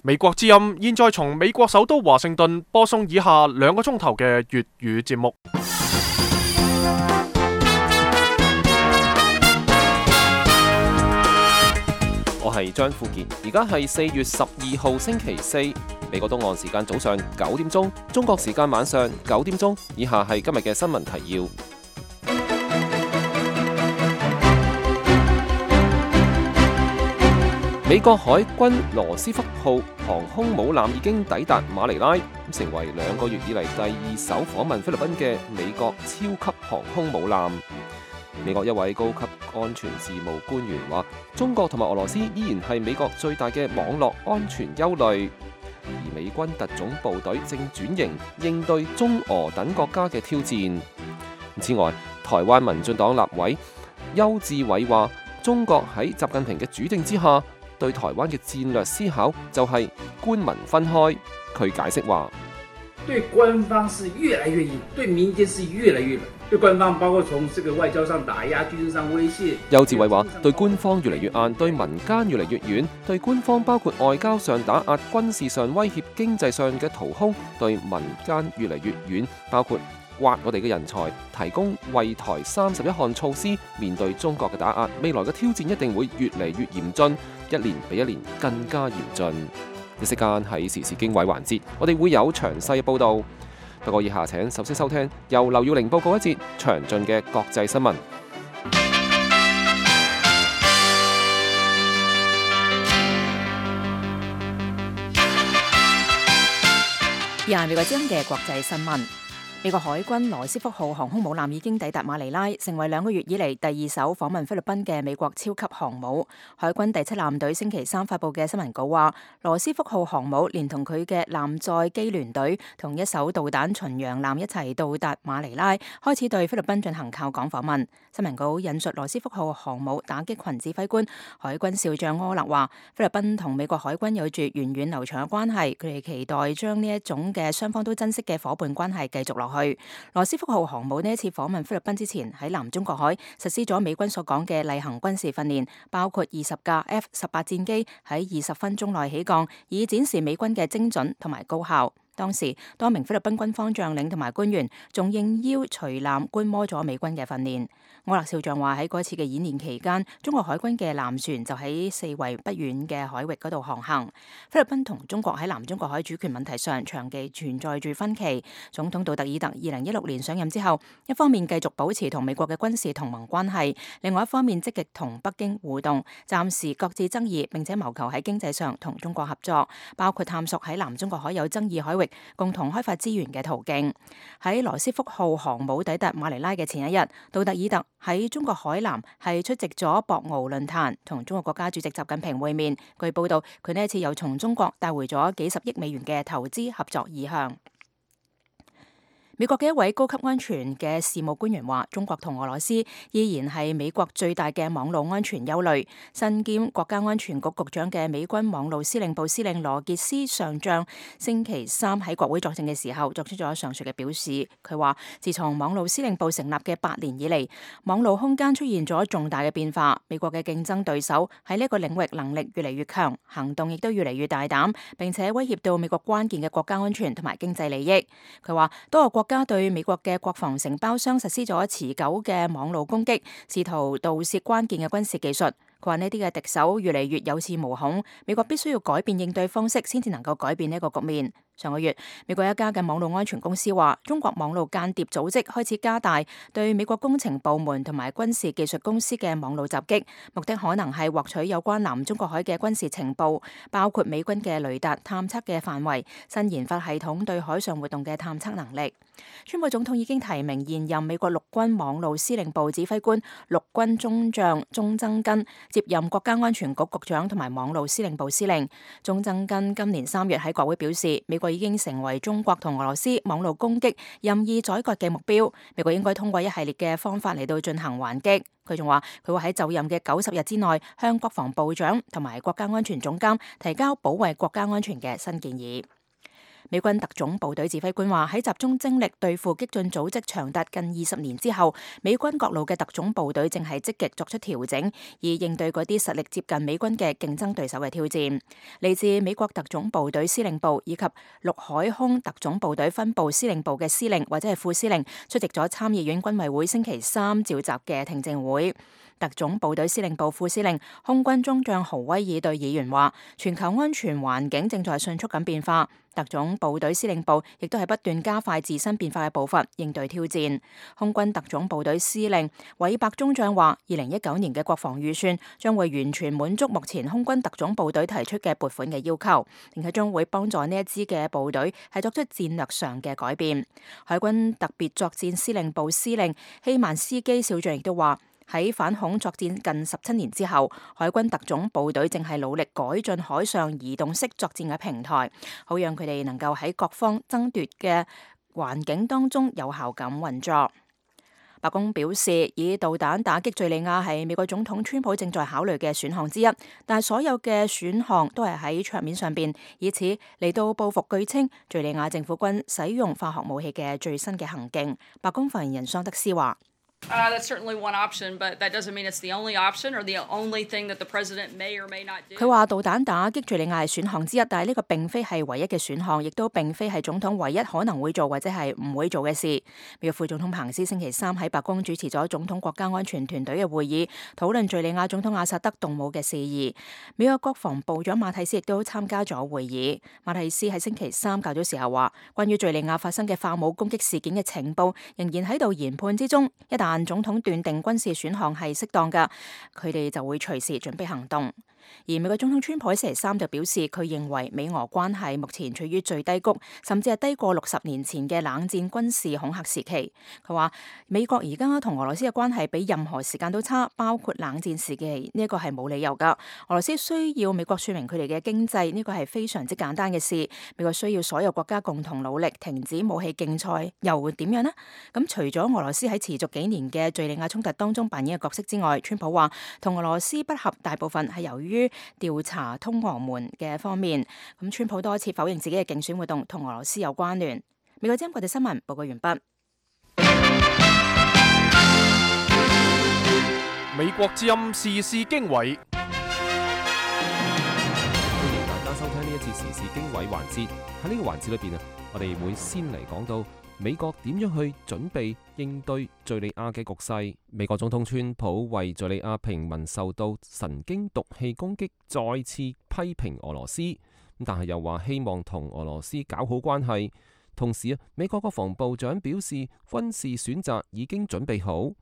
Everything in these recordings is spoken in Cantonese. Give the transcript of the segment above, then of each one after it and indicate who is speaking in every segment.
Speaker 1: 美國之音現在從美國首都華盛頓播送以下2個鐘頭嘅粵語節目。
Speaker 2: 我係張富健，而家係4月12號星期四，美國東岸時間早上9點鐘，中國時間晚上9點鐘。以下係今日嘅新聞提要。美國海軍羅斯福號航空母艦已經抵達馬尼拉，成為2個月以嚟第2艘訪問菲律賓嘅美國超級航空母艦。美國一位高級安全事務官員話，中國同埋俄羅斯依然係美國最大嘅網絡安全憂慮，而美軍特種部隊正轉型應對中俄等國家嘅挑戰。此外，台灣民進黨立委邱志偉話，中國喺習近平嘅主政之下，對台灣嘅戰略思考就係官民分開。佢解釋話，
Speaker 3: 對官方是越來越硬，對民間是越來越冷。對官方包括從這個外交上打壓、軍事上威脅。
Speaker 2: 邱志偉話，對官方越嚟越硬，對民間越嚟越軟。對官方包括外交上打壓、軍事上威脅、經濟上嘅掏空；對民間越嚟越軟，包括挖我哋嘅人才，提供惠台31項措施。面對中國嘅打壓，未來嘅挑戰一定會越嚟越嚴峻，一年比一年更加嚴峻。一息間喺時事經緯環節，我哋會有詳細嘅報導。不過以下請首先收聽由劉耀玲報告一節詳盡嘅國際新聞。
Speaker 4: 以下係美國之音嘅國際新聞。美國海軍羅斯福號航空母艦已經抵達馬尼拉，成為2個月以嚟第2艘訪問菲律賓嘅美國超級航母。海軍第7艦隊星期3發佈嘅新聞稿話，羅斯福號航母連同佢嘅艦載機聯隊同1艘導彈巡洋艦一齊到達馬尼拉，開始對菲律賓進行靠港訪問。新聞稿引述羅斯福號航母打擊群指揮官海軍少將柯勒話，菲律賓同美國海軍有住源遠流長嘅關係，佢哋期待將呢一種嘅雙方都珍惜嘅夥伴關係繼續落去。羅斯福號航母呢一次訪問菲律賓之前，喺南中國海實施咗美軍所講嘅例行軍事訓練，包括20架 F-18 戰機喺20分鐘內起降，以展示美軍嘅精準同埋高效。當時多名菲律賓軍方將領同埋官員仲應邀隨艦觀摩咗美軍嘅訓練。柯勒少將話，喺嗰次嘅演練期間，中國海軍嘅艦船就喺四圍不遠嘅海域嗰度航行。菲律賓同中國喺南中國海主權問題上長期存在住分歧。總統杜特爾特2016年上任之後，一方面繼續保持同美國嘅軍事同盟關係，另外一方面積極同北京互動，暫時擱置爭議，並且謀求喺經濟上同中國合作，包括探索喺南中國海有爭議海域共同開發資源嘅途徑。喺羅斯福號航母抵達馬尼拉嘅前一日，杜特爾特喺中國海南係出席咗博鰲論壇，同中國國家主席習近平會面。據報道，佢呢一次又從中國帶回咗幾十億美元嘅投資合作意向。美國嘅一位高級安全嘅事務官員話，中國同俄羅斯依然係美國最大嘅網絡安全憂慮。身兼國家安全局局長嘅美軍網絡司令部司令羅傑斯上將星期3喺國會作證嘅時候作出咗上述嘅表示。佢話，自從網絡司令部成立嘅8年以嚟，網絡空間出現咗重大嘅變化。美國嘅競爭對手喺呢一個領域能力越嚟越強，行動亦都越嚟越大膽，並且威脅到美國關鍵嘅國家安全同埋經濟利益。佢話，多個國家對美國嘅國防承包商實施咗持久嘅網絡攻擊，試圖盜竊關鍵嘅軍事技術。佢話呢啲嘅敵手越嚟越有恃無恐，美國必須要改變應對方式，先至能夠改變呢個局面。上個月，美國一家嘅網絡安全公司話，中國網絡間諜組織開始加大對美國工程部門同埋軍事技術公司嘅網絡襲擊，目的可能係獲取有關南中國海嘅軍事情報，包括美軍嘅雷達探測嘅範圍、新研發系統對海上活動嘅探測能力。川普總統已經提名現任美國陸軍網絡司令部指揮官陸軍中將鐘增根接任國家安全局局長同埋網絡司令部司令。鐘增根今年3月喺國會表示，美國已經成為中國同俄羅斯網絡攻擊任意宰割嘅目標，美國應該通過一系列嘅方法嚟到進行還擊。佢仲話，佢會喺就任嘅90日之內向國防部長同埋國家安全總監提交保衛國家安全嘅新建議。美軍特種部隊指揮官話，喺集中精力對付激進組織長達近20年之後，美軍各路嘅特種部隊正係積極作出調整，以應對嗰啲實力接近美軍嘅競爭對手嘅挑戰。嚟自美國特種部隊司令部以及陸海空特種部隊分部司令部嘅司令或者係副司令出席咗參議院軍委會星期三召集嘅聽證會。特種部隊司令部副司令空軍中將豪威爾對議員話，全球安全環境正在迅速咁變化，特種部隊司令部亦都係不斷加快自身變化嘅步伐，應對挑戰。空軍特種部隊司令韋伯中將話，2019年嘅國防預算將會完全滿足目前空軍特種部隊提出嘅撥款嘅要求，並且將會幫助呢一支嘅部隊係作出戰略上嘅改變。海軍特別作戰司令部司令希曼斯基少將亦都話，喺反恐作戰近17年之後，海軍特種部隊正係努力改進海上移動式作戰嘅平台，好讓佢哋能夠喺各方爭奪嘅環境當中有效咁運作。白宮表示，以導彈打擊敘利亞係美國總統川普正在考慮嘅選項之一，但係所有嘅選項都係喺桌面上邊，以此嚟到報復據稱敘利亞政府軍使用化學武器嘅最新嘅行徑。白宮發言人桑德斯話
Speaker 5: That's certainly one option, but that doesn't mean it's the only option or the only thing that the president may or may not do.
Speaker 4: 佢話導彈打擊敘利亞係選項之一，但係呢個並非係唯一嘅選項，亦都並非係總統唯一可能會做或者係唔會做嘅事。美國副總統彭斯星期三喺白宮主持咗總統國家安全團隊嘅會議，討論敘利亞總統阿薩德動武嘅事宜。美國國防部長馬蒂斯亦都參加咗會議。馬蒂斯喺星期三較早時候話，關於敘利亞發生嘅化武攻擊事件嘅情報仍然喺度研判之中，一旦總統斷定軍事選項係適當㗎，佢哋就會隨時準備行動。而美國總統川普喺星期三就表示，佢認為美俄關係目前處於最低谷，甚至係低過60年前嘅冷戰軍事恐嚇時期。佢話美國而家同俄羅斯嘅關係比任何時間都差，包括冷戰時期，呢一個係冇理由㗎。俄羅斯需要美國說明佢哋嘅經濟，呢個係非常之簡單嘅事。美國需要所有國家共同努力停止武器競賽，又會點樣呢？咁除咗俄羅斯喺持續幾年嘅敘利亞衝突當中扮演嘅角色之外，川普話同俄羅斯不合大部分係由於調查通俄門嘅方面。咁川普多次否認自己嘅競選活動同俄羅斯有關聯。美國之音國際新聞報告完畢。
Speaker 1: 美國之音時事經緯，
Speaker 2: 歡迎大家收聽呢一節時事經緯環節。喺呢個環節裏邊啊，我哋會先嚟講到美國點樣去準備應對敘利亞嘅局勢。美國總統川普為敘利亞平民受到神經毒氣攻擊再次批評俄羅斯，但係又話希望同俄羅斯搞好關係。同時啊，美國國防部長表示軍事選擇已經準備好。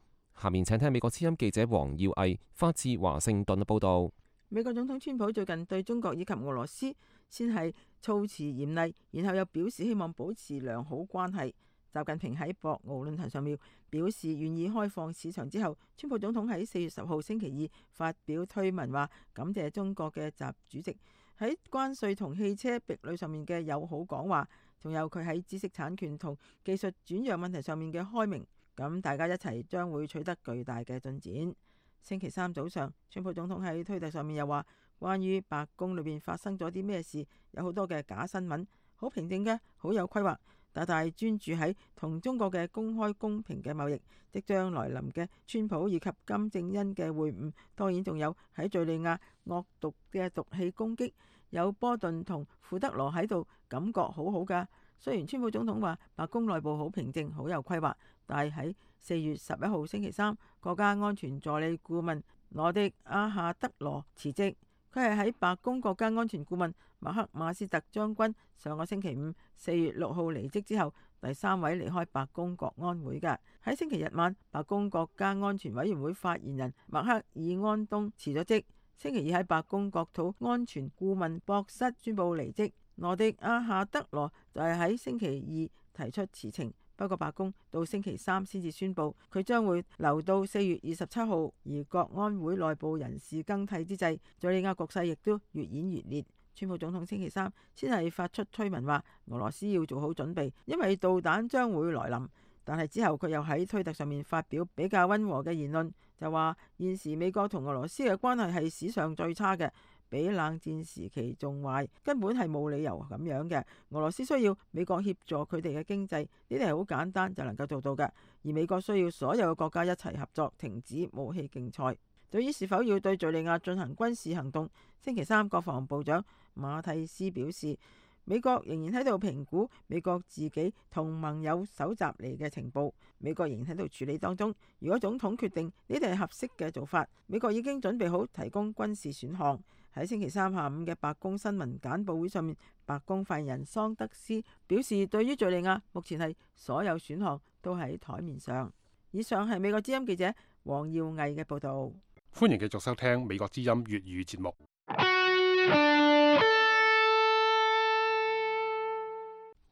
Speaker 2: 下面請聽美國之音記者黃耀毅發自華盛頓嘅報道。
Speaker 6: 美國總統川普最近對中國以及俄羅斯先係措辭嚴厲，然後又表示希望保持良好關係。習近平喺博鰲論壇上面表示願意開放市場之後，川普總統喺4月10號星期二發表推文話感謝中國嘅習主席喺關稅同汽車壁壘上面嘅友好講話，仲有佢喺知識產權同技術轉讓問題上面嘅開明，咁大家一齊將會取得巨大嘅進展。星期三早上，川普總統喺推特上面又話關於白宮裏邊發生咗啲咩事，有好多嘅假新聞，好平靜嘅，好有規劃，大大專注喺同中國嘅公開公平嘅貿易。即將來臨嘅川普以及金正恩嘅會晤，當然仲有喺敘利亞惡毒嘅毒氣攻擊，有波頓同庫德羅喺度，感覺好好㗎。雖然川普總統話白宮內部好平靜，好有規劃，但係喺4月11號星期三，國家安全助理顧問羅迪亞夏德羅辭職。佢係喺白宮國家安全顧問麥克馬斯特將軍上個星期五4月6號離職之後，第3位離開白宮國安會嘅。喺星期日晚，白宮國家安全委員會發言人麥克爾安東辭咗職。星期二喺白宮國土安全顧問博室宣布離職。羅迪亞夏德羅就係喺星期二提出辭呈，不過白宮到星期三先至宣布佢將會留到4月27號。而國安會內部人事更替之際，敘利亞局勢亦都越演越烈。川普總統星期三先係發出推文話俄羅斯要做好準備，因為導彈將會來臨。但係之後佢又喺推特上面發表比較溫和嘅言論，就話現時美國同俄羅斯嘅關係係史上最差嘅，比冷戰時期仲壞，根本係冇理由咁樣嘅。俄羅斯需要美國協助佢哋嘅經濟，呢啲係好簡單就能夠做到嘅。而美國需要所有嘅國家一齊合作，停止武器競賽。對於是否要對敘利亞進行軍事行動，星期三國防部長馬蒂斯表示，美國仍然喺度評估美國自己同盟友搜集嚟嘅情報，美國仍然喺度處理當中。如果總統決定呢啲係合適嘅做法，美國已經準備好提供軍事選項。喺星期三下午嘅白宮新聞簡報會上面，白宮發言人桑德斯表示，對於敘利亞目前係所有選項都喺台面上。以上係美國之音記者黃耀毅嘅報道。
Speaker 1: 歡迎繼續收聽美國之音粵語節目。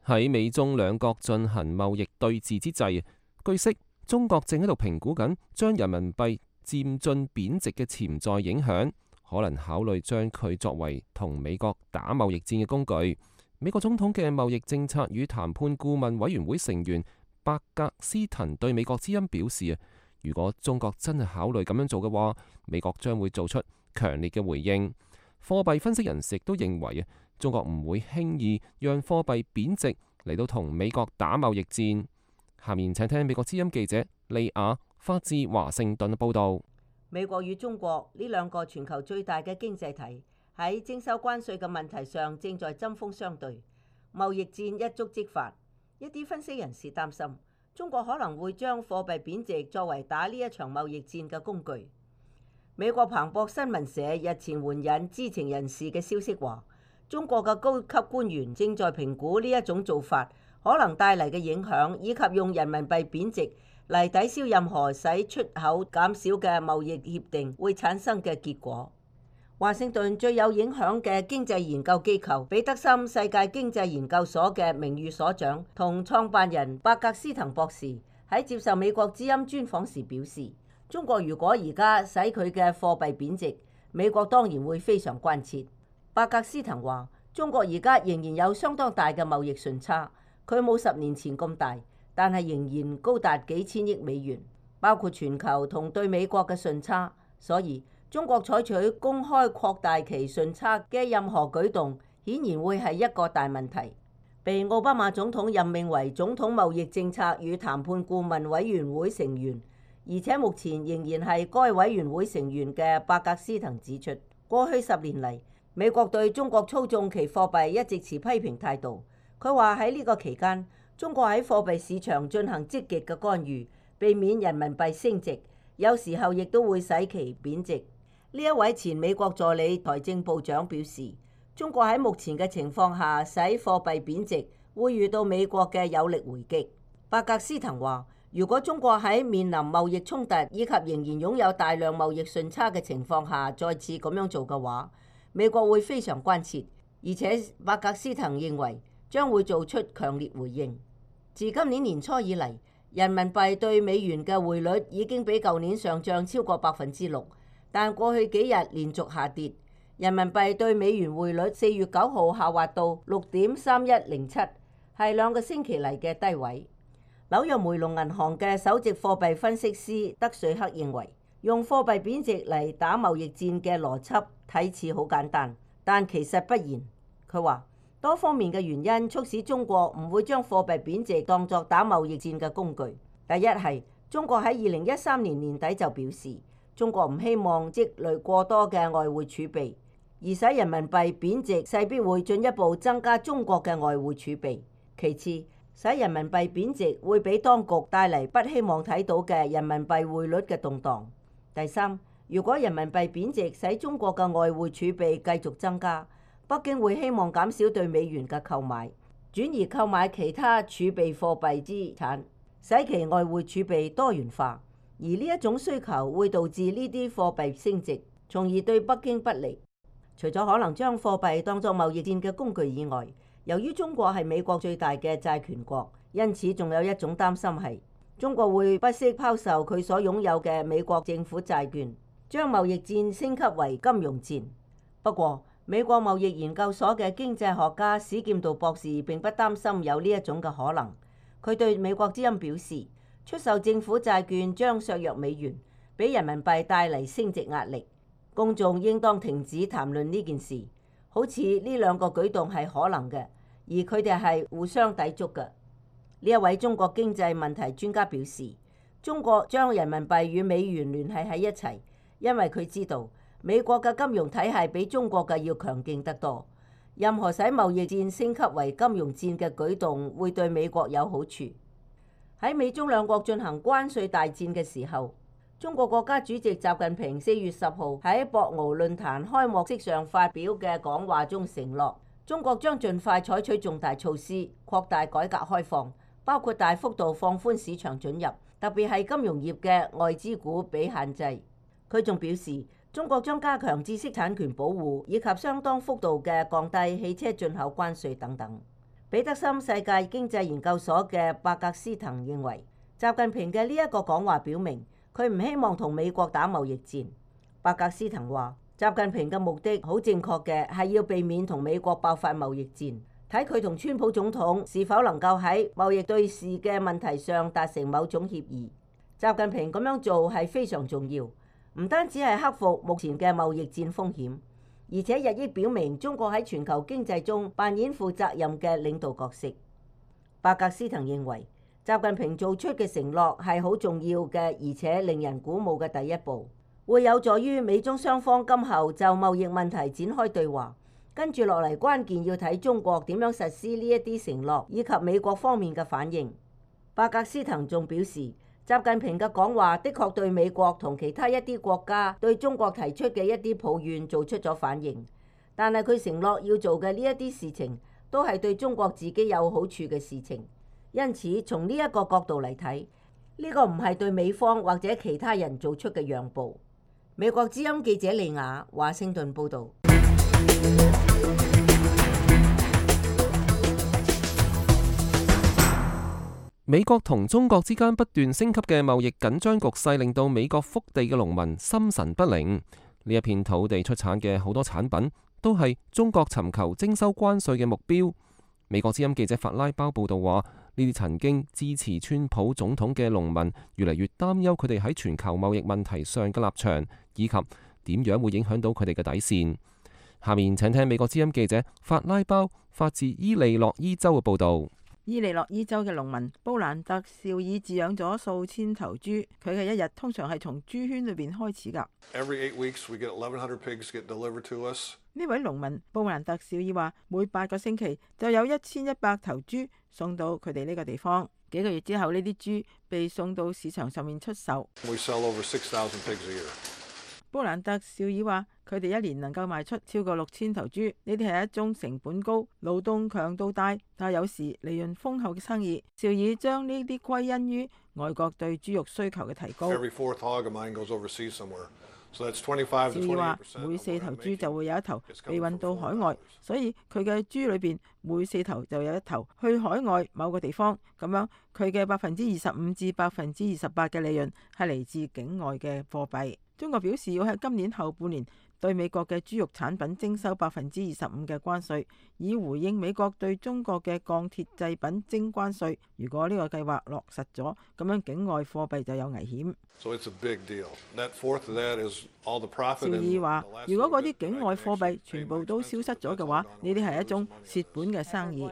Speaker 2: 喺美中兩國進行貿易對峙之際，據悉中國正喺度評估緊將人民幣漸進貶值嘅潛在影響，可能考慮將佢作為同美國打貿易戰嘅工具。美國總統嘅貿易政策與談判顧問委員會成員伯格斯滕對美國之音表示，如果中國真係考慮咁樣做嘅話，美國將會做出強烈嘅回應。貨幣分析人士亦都認為中國唔會輕易讓貨幣貶值嚟到同美國打貿易戰。下面請聽美國之音記者利亞發自華盛頓報道。
Speaker 7: 美國與中國呢兩個全球最大嘅經濟體喺徵收關稅嘅問題上正在針鋒相對，貿易戰一觸即發。一啲分析人士擔心，中國可能會將貨幣貶值作為打呢一場貿易戰嘅工具。美國彭博新聞社日前援引知情人士嘅消息話，中國嘅高級官員正在評估呢一種做法可能帶嚟嘅影響，以及用人民幣貶值嚟抵消任何使出口減少嘅貿易協定會產生嘅結果。華盛頓最有影響嘅經濟研究機構彼得森世界經濟研究所嘅名譽所長同創辦人伯格斯滕博士喺接受美國之音專訪時表示，中國如果而家使佢嘅貨幣貶值，美國當然會非常關切。伯格斯滕話，中國而家仍然有相當大嘅貿易順差，佢冇10年前咁大，但係仍然高達幾千億美元，包括全球同對美國嘅順差。所以中國採取公開擴大其順差嘅任何舉動，顯然會係一個大問題。被奧巴馬總統任命為總統貿易政策與談判顧問委員會成員，而且目前仍然係該委員會成員嘅伯格斯滕指出，過去10年嚟，美國對中國操縱其貨幣一直持批評態度。佢話喺呢個期間，中國喺貨幣市場進行積極嘅干預，避免人民幣升值，有時候亦都會使其貶值。呢一位前美國助理財政部長表示，中國喺目前嘅情況下使貨幣貶值，會遇到美國嘅有力回擊。伯格斯滕話，如果中國喺面臨貿易衝突以及仍然擁有大量貿易順差嘅情況下再次咁樣做嘅話，美國會非常關切，而且伯格斯滕認為將會做出強烈回應。自今年年初以嚟，人民幣對美元嘅匯率已經比舊年上漲超過6%，但過去幾日連續下跌。人民幣對美元匯率4月9號下滑到6.3107，係2個星期嚟嘅低位。紐約梅隆銀行嘅首席貨幣分析師德瑞克認為，用貨幣貶值嚟打貿易戰嘅邏輯睇似好簡單，但其實不然。佢話多方面嘅原因促使中國唔會將貨幣貶值當作打貿易戰嘅工具。第一係中國喺2013年年底就表示，中國唔希望積累過多嘅外匯儲備，而使人民幣貶值勢必會進一步增加中國嘅外匯儲備。其次，使人民幣貶值會俾當局帶嚟不希望睇到嘅人民幣匯率嘅動盪。第三，如果人民幣貶值使中國嘅外匯儲備繼續增加，北京會希望減少對美元嘅購買，轉而購買其他儲備貨幣資產，使其外匯儲備多元化。而呢一種需求會導致呢啲貨幣升值，從而對北京不利。除咗可能將貨幣當作貿易戰嘅工具以外，由於中國係美國最大嘅債權國，因此仲有一種擔心係中國會不惜拋售佢所擁有嘅美國政府債券，將貿易戰升級為金融戰。不過，美國貿易研究所嘅經濟學家史劍道博士並不擔心有呢一種嘅可能。佢對美國之音表示，出售政府債券將削弱美元，俾人民幣帶嚟升值壓力。公眾應當停止談論呢件事，好似呢兩個舉動係可能嘅，而佢哋係互相抵觸嘅。呢一位中國經濟問題專家表示，中國將人民幣與美元聯繫喺一齊，因為佢知道美國嘅金融體系比中國嘅要強勁得多。任何使貿易戰升級為金融戰嘅舉動會對美國有好處。喺美中兩國進行關稅大戰嘅時候，中國國家主席習近平4月10號喺博鰲論壇開幕式上發表嘅講話中承諾，中國將盡快採取重大措施，擴大改革開放，包括大幅度放寬市場准入，特別係金融業嘅外資股比限制。佢仲表示，中國將加強知識產權保護，以及相當幅度嘅降低汽車進口關稅等等。彼得森世界經濟研究所嘅伯格斯滕認為，習近平嘅呢一個講話表明，佢唔希望同美國打貿易戰。伯格斯滕話，習近平嘅目的好正確嘅，係要避免同美國爆發貿易戰，睇佢同川普總統是否能夠喺貿易對峙嘅問題上達成某種協議。習近平咁樣做係非常重要。唔單止係克服目前嘅貿易戰風險，而且日益表明中國喺全球經濟中扮演負責任嘅領導角色。伯格斯滕認為，習近平做出嘅承諾係好重要嘅，而且令人鼓舞嘅第一步，會有助於美中雙方今後就貿易問題展開對話。跟住落嚟，關鍵要睇中國點樣實施呢一啲承諾，以及美國方面嘅反應。伯格斯滕仲表示，習近平嘅講話的確對美國同其他一啲國家對中國提出嘅一啲抱怨做出咗反應，但係佢承諾要做嘅呢一啲事情都係對中國自己有好處嘅事情，因此從呢一個角度嚟睇，呢個唔係對美方或者其他人做出嘅讓步。美國之音記者利亞華盛頓報導。
Speaker 2: 美國同中國之間不斷升級嘅貿易緊張局勢，令到美國福地嘅農民心神不寧。呢一片土地出產嘅好多產品，都係中國尋求徵收關稅嘅目標。美國之音記者法拉包報道話，呢啲曾經支持川普總統嘅農民，越嚟越擔憂佢哋喺全球貿易問題上嘅立場，以及點樣會影響到佢哋嘅底線。下面請聽美國之音記者法拉包發自伊利諾伊州嘅報道。
Speaker 6: 伊利諾伊州嘅農民布蘭特紹爾飼養咗數千頭豬，佢嘅一日通常係從豬圈裏邊開始㗎。呢位農民布蘭特紹爾話，每8個星期就有1100頭豬送到佢哋呢個地方。幾個月之後，呢啲豬被送到市場上面出售。布蘭特紹爾話，佢哋一年能夠賣出超過6000頭豬，呢啲係一宗成本高、勞動強度大，但係有時利潤豐厚嘅生意。紹爾將呢啲歸因於外國對豬肉需求嘅提高。紹爾話，每4頭豬就會有1頭被運到海外，所以佢嘅豬裏邊每4頭就有1頭去海外某個地方。咁樣佢嘅25%至28%嘅利潤係嚟自境外嘅貨幣。中國表示要喺今年後半年對美國嘅豬肉產品徵收25%嘅關稅，以回應美國對中國嘅鋼鐵製品徵關稅。如果呢個計劃落實咗，咁樣境外貨幣就有危險。紹爾話，如果嗰啲境外貨幣全部都消失咗嘅話，呢啲係一種蝕本嘅生意。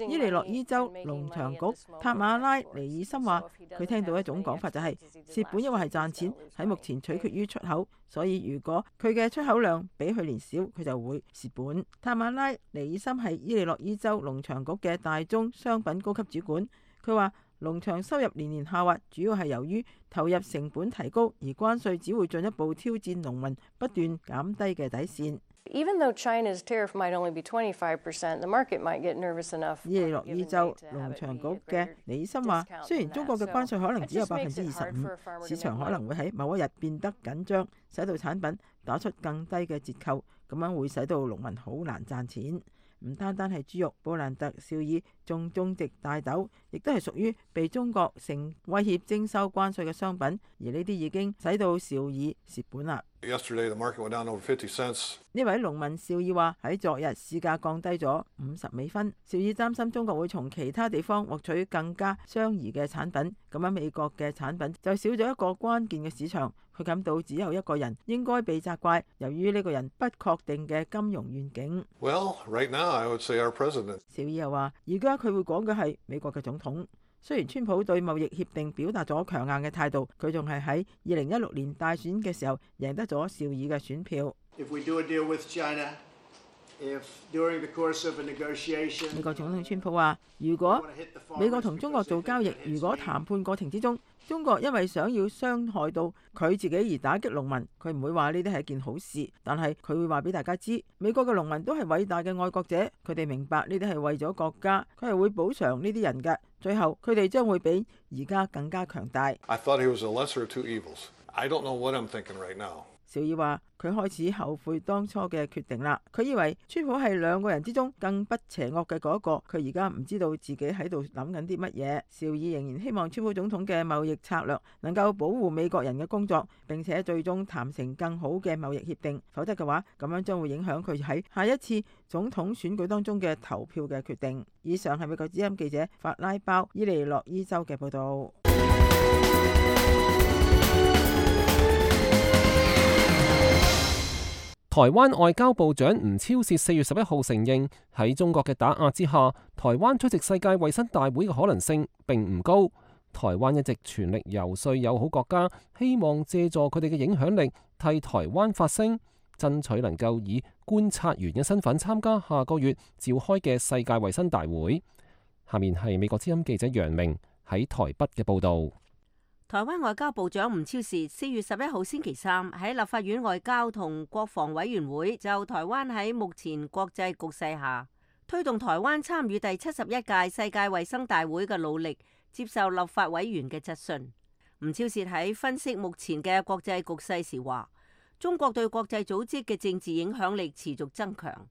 Speaker 6: 伊利諾伊州農場局塔馬拉尼爾森話，佢聽到一種講法就係蝕本，因為係賺錢，喺目前取決於出口，所以如果佢嘅出口量比去年少，佢就會蝕本。塔馬拉尼爾森係伊利諾伊州農場局嘅大宗商品高級主管，佢話農場收入年年下滑，主要係由於投入成本提高，而關稅只會進一步挑戰農民不斷減低嘅底線。
Speaker 8: Even though China's tariff might only be 25%, the market might get nervous enough.
Speaker 6: 伊利諾伊州農場局嘅李醫生話，雖然中國嘅關稅可能只有25%，市場可能會喺某一日變得緊張，使到產品打出更低嘅折扣，咁樣會使到農民好難賺錢。唔單單係豬肉，布蘭特紹爾仲種植大豆，亦都係屬於被中國成威脅徵收關稅嘅商品，而呢啲已經使到紹爾蝕本啦。
Speaker 9: Yesterday, the market went down over 50 cents.
Speaker 6: 呢位農民邵爾話：喺昨日市價降低咗50美分。邵爾擔心中國會從其他地方獲取更加相宜嘅產品，咁樣美國嘅產品就少咗一個關鍵嘅市場。佢感到只有一個人應該被責怪，由於呢個人不確定嘅金融願景。
Speaker 9: Well, right now, I would say our president.
Speaker 6: 邵爾又話：而家佢會講嘅係美國嘅總統。雖然川普對貿易協定表達咗強硬嘅態度，佢仲係喺2016年大選嘅時候贏得咗邵爾嘅選票。
Speaker 10: If we do a deal with China, if during the course of a negotiation,
Speaker 6: 美國總統川普話：如果美國同中國做交易，如果談判過程之中，中國因為想要傷害到佢自己而打擊農民，佢唔會話呢啲係一件好事，但係佢會話俾大家知，美國嘅農民都係偉大嘅愛國者，佢哋明白呢啲係為咗國家，佢係會補償呢啲人嘅，最後佢哋將會比而家更加強大。
Speaker 9: I thought he was the lesser of two evils. I don't know what I'm thinking right now.
Speaker 6: 邵爾話：佢開始後悔當初嘅決定啦。佢以為川普係兩個人之中更不邪惡嘅嗰一個，佢而家唔知道自己喺度諗緊啲乜嘢。邵爾仍然希望川普總統嘅貿易策略能夠保護美國人嘅工作，並且最終談成更好嘅貿易協定。否則嘅話，咁樣將會影響佢喺下一次總統選舉當中嘅投票嘅決定。以上係美國之音記者法拉鮑伊利諾伊州嘅報導。
Speaker 2: 台灣外交部長吳釗燮4月11號承認，喺中國嘅打壓之下，台灣出席世界衛生大會嘅可能性並唔高。台灣一直全力游說友好國家，希望借助佢哋嘅影響力替台灣發聲，爭取能夠以觀察員嘅身份參加下個月召開嘅世界衛生大會。下面係美國之音記者楊明喺台北嘅報導。
Speaker 7: 台灣外交部長吳釗燮4月11號星期三喺立法院外交同國防委員會就台灣喺目前國際局勢下推動台灣參與第71屆世界衛生大會嘅努力，接受立法委員嘅質詢。吳釗燮喺分析目前嘅國際局勢時話，中國對國際組織嘅政治影響力持續增強，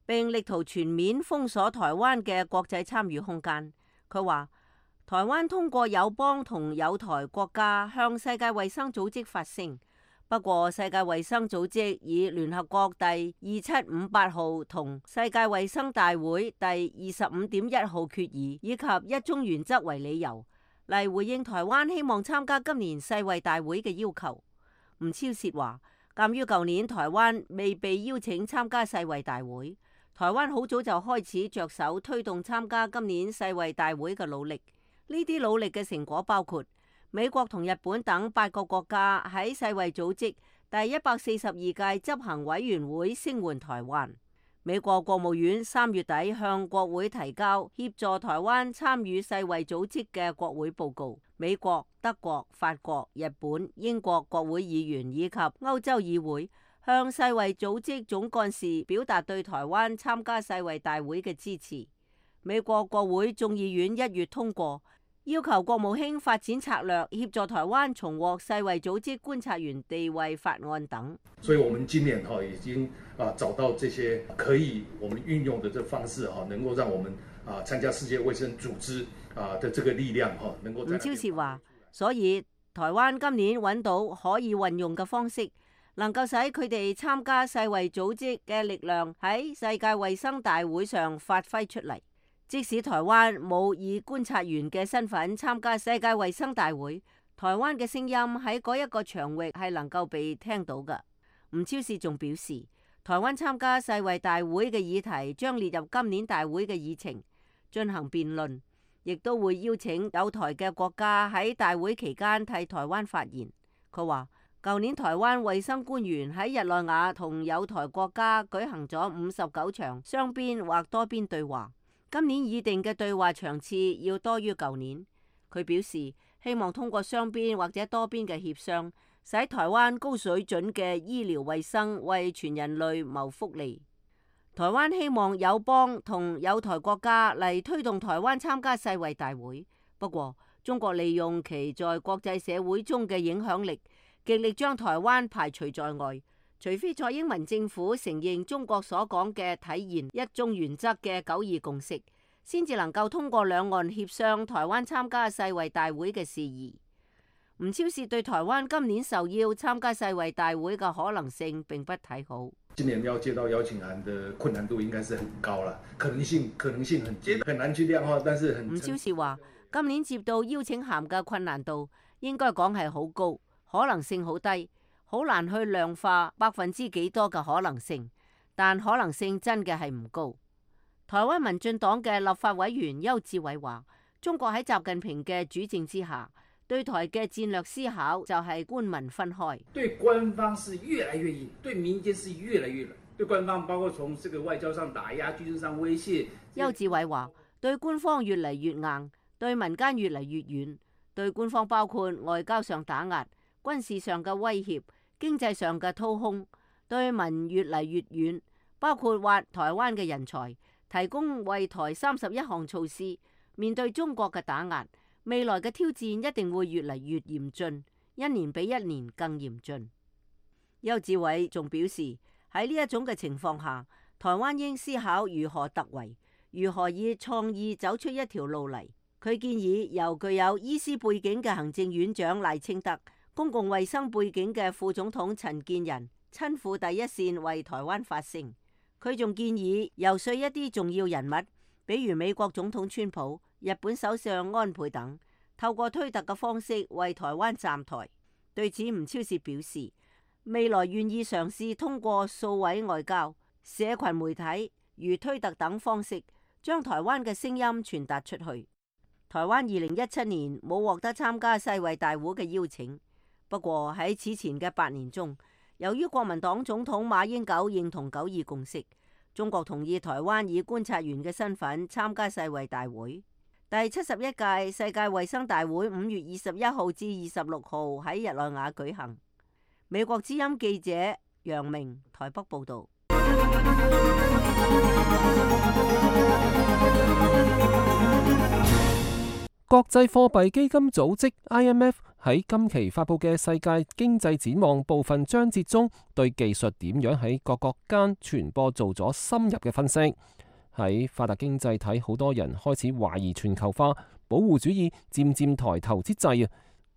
Speaker 7: 並力圖全面封鎖台灣嘅國際參與空間。佢話，台灣通過友邦同友台國家向世界衛生組織發聲，不過世界衛生組織以聯合國第2758號同世界衛生大會第25.1號決議以及一中原則為理由嚟回應台灣希望參加今年世衛大會嘅要求。吳釗燮話，鑑於舊年台灣未被邀請參加世衛大會，台灣好早就開始着手推動參加今年世衛大會嘅努力。呢啲努力嘅成果包括美國同日本等8個國家喺世衛組織第142屆執行委員會聲援台灣。美國國務院3月底向國會提交協助台灣參與世衛組織嘅國會報告。美國、德國、法國、日本、英國國會議員以及歐洲議會向世衛組織總幹事表達對台灣參加世衛大會嘅支持。美國國會眾議院1月通過要求國務卿發展策略協助台灣重獲世衛組織觀察員地位法案等。
Speaker 3: 所以我們今年已經找到這些可以我們運用的這方式能夠讓我們參加世界衛生組織的這個力量能夠。吳
Speaker 7: 釗燮話，所以台灣今年揾到可以運用嘅方式，能夠使佢哋參加世衛組織嘅力量喺世界衛生大會上發揮出嚟。即使台灣冇以觀察員嘅身份參加世界衛生大會，台灣嘅聲音喺嗰一個場域係能夠被聽到嘅。吳釗燮仲表示，台灣參加世衛大會嘅議題將列入今年大會嘅議程進行辯論，亦都會邀請友台嘅國家喺大會期間替台灣發言。佢話，舊年台灣衛生官員喺日內瓦同友台國家舉行咗59場雙邊或多邊對話。今年擬定嘅對話場次要多於舊年。佢表示希望通過雙邊或者多邊嘅協商，使台灣高水準嘅醫療衛生為全人類謀福利。台灣希望友邦同友台國家嚟推動台灣參加世衛大會，不過中國利用其在國際社會中嘅影響力，極力將台灣排除在外。除非蔡英文政府承認中國所講嘅體現一中原則嘅9·2共識，先至能夠通過兩岸協商台灣參加世衛大會嘅事宜。吳超士對台灣今年受邀參加世衛大會嘅可能性並不睇好。
Speaker 3: 今年要接到邀請函的困難度應該是很高啦，可能性很難去量化，但是
Speaker 7: 吳超士話，今年接到邀請函嘅困難度應該講係好高，可能性好低，好難去量化%幾多嘅可能性，但可能性真嘅係唔高。台灣民進黨嘅立法委員邱志偉話，中國喺習近平嘅主政之下，對台嘅戰略思考就係官民分開，
Speaker 11: 對官方是越來越硬，對民間是越來越軟。對官方包括從這個外交上打壓、軍事上威脅。
Speaker 7: 邱志偉話，對官方越嚟越硬，對民間越嚟越軟。對官方包括外交上打壓、軍事上嘅威脅、經濟上嘅掏空；對民越嚟越軟，包括挖台灣嘅人才，提供為台31項措施。面對中國嘅打壓，未來嘅挑戰一定會越嚟越嚴峻，一年比一年更嚴峻。邱志偉仲表示，喺呢一種嘅情況下，台灣應思考如何突圍，如何以創意走出一條路嚟。佢建議由具有醫師背景嘅行政院長賴清德、公共衛生背景嘅副總統陳建仁親赴第一線為台灣發聲。佢仲建議游說一啲重要人物，比如美國總統川普、日本首相安倍等，透過推特嘅方式為台灣站台。對此，吳超士表示，未來願意嘗試通過數位外交、社群媒體如推特等方式，將台灣嘅聲音傳達出去。台灣2017年冇獲得參加世衛大會嘅邀請，不過喺此前嘅8年中，由於國民黨總統馬英九認同9·2共識，中國同意台灣以觀察員嘅身份參加世衛大會。第71屆世界衛生大會5月21號至26號喺日內瓦舉行。美國之音記者楊明台北報道。
Speaker 2: 國際貨幣基金組織 IMF 喺今期發佈嘅世界經濟展望部分章節中，對技術點樣喺各國間傳播做咗深入嘅分析。喺發達經濟體，好多人開始懷疑全球化、保護主義漸漸抬頭之際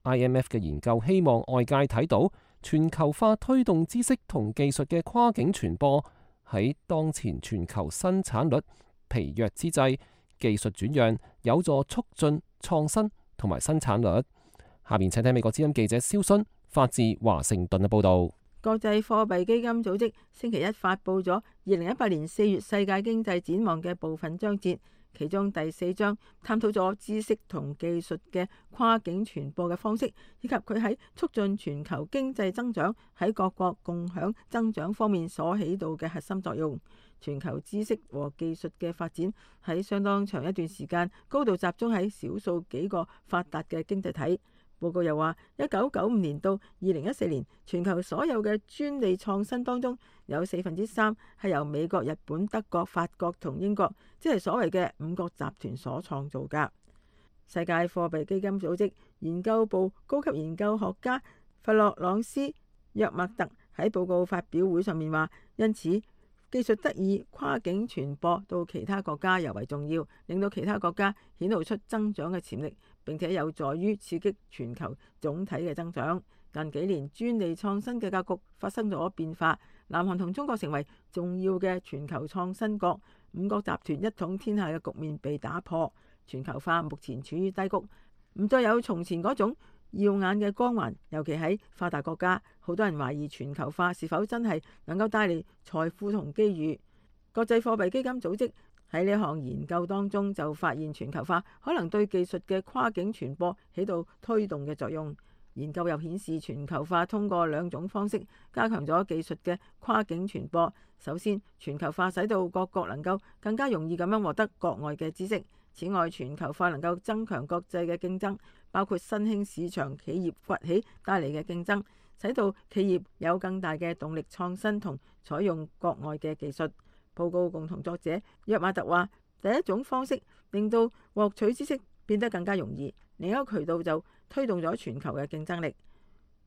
Speaker 2: ，IMF 嘅研究希望外界睇到全球化推動知識同技術嘅跨境傳播，喺當前全球生產率疲弱之際，技術轉讓有助促進創新同埋生產率。下面請睇美國之音記者蕭勳發自華盛頓嘅報道。
Speaker 6: 國際貨幣基金組織星期一發佈咗2018年4月世界經濟展望嘅部分章節，其中第4章探討咗知識同技術嘅跨境傳播嘅方式，以及佢喺促進全球經濟增長、喺各國共享增長方面所起到嘅核心作用。全球知識和技術嘅發展喺相當長一段時間高度集中喺少數幾個發達嘅經濟體。報告又話，1995年到2014年，全球所有嘅專利創新當中，有3%係由美國、日本、德國、法國同英國，即係所謂嘅5國集團所創造㗎。世界貨幣基金組織研究部高級研究學家弗洛朗斯約默特喺報告發表會上面話，因此技術得以跨境傳播到其他國家尤為重要，令到其他國家顯露出增長嘅潛力，並且有助於刺激全球總體嘅增長。近幾年專利創新嘅格局發生咗變化，南韓同中國成為重要嘅全球創新國，5國集團一統天下嘅局面被打破，全球化目前處於低谷，唔再有從前嗰種耀眼嘅光環，尤其喺發達國家，好多人懷疑全球化是否真係能夠帶嚟財富同機遇。國際貨幣基金組織喺呢項研究當中就發現，全球化可能對技術嘅跨境傳播起到推動嘅作用。研究又顯示，全球化通過2種方式加強咗技術嘅跨境傳播。首先，全球化使到各國能夠更加容易咁樣獲得國外嘅知識。此外，全球化能夠增強國際嘅競爭，包括新興市場企業崛起帶嚟嘅競爭，使到企業有更大嘅動力創新同採用國外嘅技術。報告共同作者約馬特話，第一種方式令到獲取知識變得更加容易，另一個渠道就推動咗全球嘅競爭力。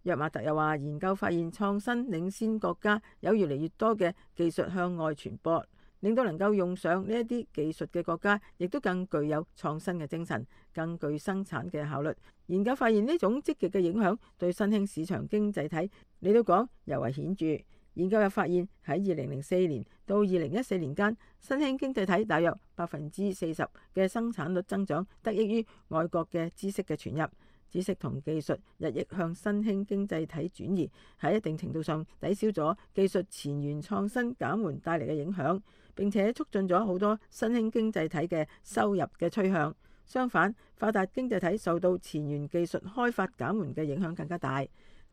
Speaker 6: 約馬特又話，研究發現創新領先國家有越嚟越多嘅技術向外傳播，令到能夠用上呢一啲技術嘅國家，亦都更具有創新嘅精神，更具生產嘅效率。研究發現呢種積極嘅影響對新興市場經濟體嚟到講尤為顯著。研究又發現喺2004年到2014年間，新興經濟體大約40%嘅生產率增長得益於外國嘅知識嘅傳入。知識同技術日益向新興經濟體轉移，喺一定程度上抵消咗技術前沿創新減緩帶嚟嘅影響，並且促進咗好多新興經濟體嘅收入嘅趨向。相反，發達經濟體受到前沿技術開發減緩嘅影響更加大。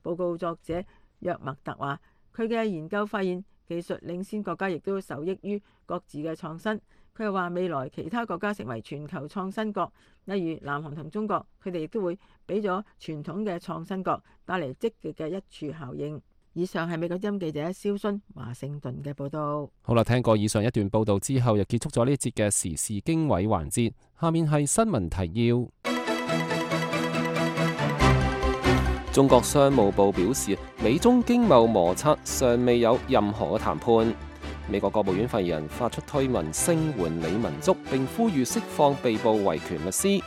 Speaker 6: 報告作者約麥特話，佢嘅研究發現，技術領先國家亦都受益於各自嘅創新。佢又話，未來其他國家成為全球創新國，例如南韓同中國，佢哋亦都會俾咗傳統嘅創新國帶嚟積極嘅一處效應。以上係美國之音記者蕭薰華盛頓嘅報導。
Speaker 2: 好啦，聽過以上一段報導之後，又結束咗呢一節嘅時事經緯環節。下面係新聞提要。中國商務部表示，美中經貿摩擦尚未有任何嘅談判。美國國務院發言人發出推文聲援李文足，並呼籲釋放被捕維權律師。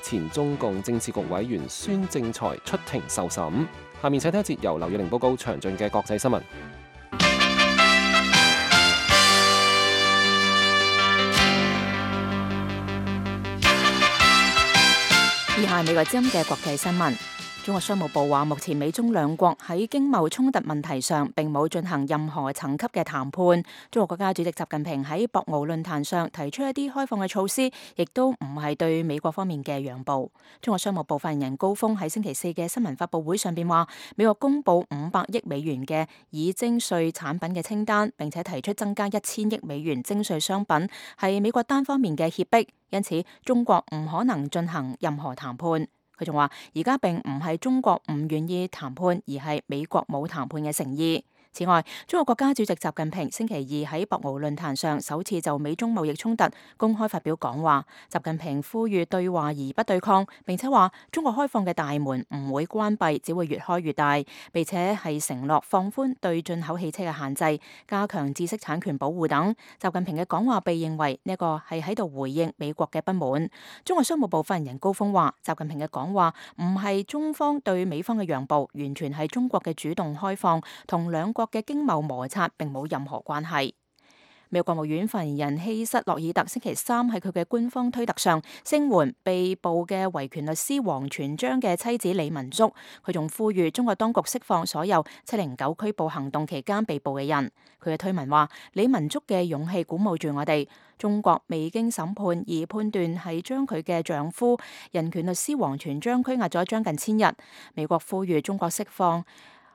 Speaker 2: 前中共政治局委員孫政才出庭受審。下面請聽一節由劉宇玲報告詳盡嘅國際新聞。
Speaker 4: 以下係美國之音嘅國際新聞。中國商務部話，目前美中兩國喺經貿衝突問題上並冇進行任何層級嘅談判。中國國家主席習近平喺博鰲論壇上提出一啲開放嘅措施，亦都唔係對美國方面嘅讓步。中國商務部發言人高峰喺星期四嘅新聞發佈會上邊話，美國公布500億美元嘅已徵稅產品嘅清單，並且提出增加1000億美元徵稅商品，係美國單方面嘅脅迫，因此中國唔可能進行任何談判。佢仲話，而家並唔係中國唔願意談判，而係美國冇談判嘅誠意。此外，中國國家主席習近平星期二喺博鰲論壇上首次就美中貿易衝突公開發表講話。習近平呼籲對話而不對抗，並且話中國開放嘅大門唔會關閉，只會越開越大，並且係承諾放寬對進口汽車嘅限制，加強知識產權保護等。習近平嘅講話被認為呢個係喺度回應美國嘅不滿。中國商務部發言人高峰話，習近平嘅講話唔係中方對美方嘅讓步，完全係中國嘅主動開放，同兩國嘅經貿摩擦並冇任何關係。美國國務院發言人希瑟洛爾特星期三喺佢嘅官方推特上聲援被捕嘅維權律師王全璋嘅妻子李文足，佢仲呼籲中國當局釋放所有709拘捕行動期間被捕嘅人。佢嘅推文話，李文足嘅勇氣鼓舞住我哋，中國未經審判而判斷係將佢嘅丈夫人權律師王全璋拘押咗將近1000日。美國呼籲中國釋放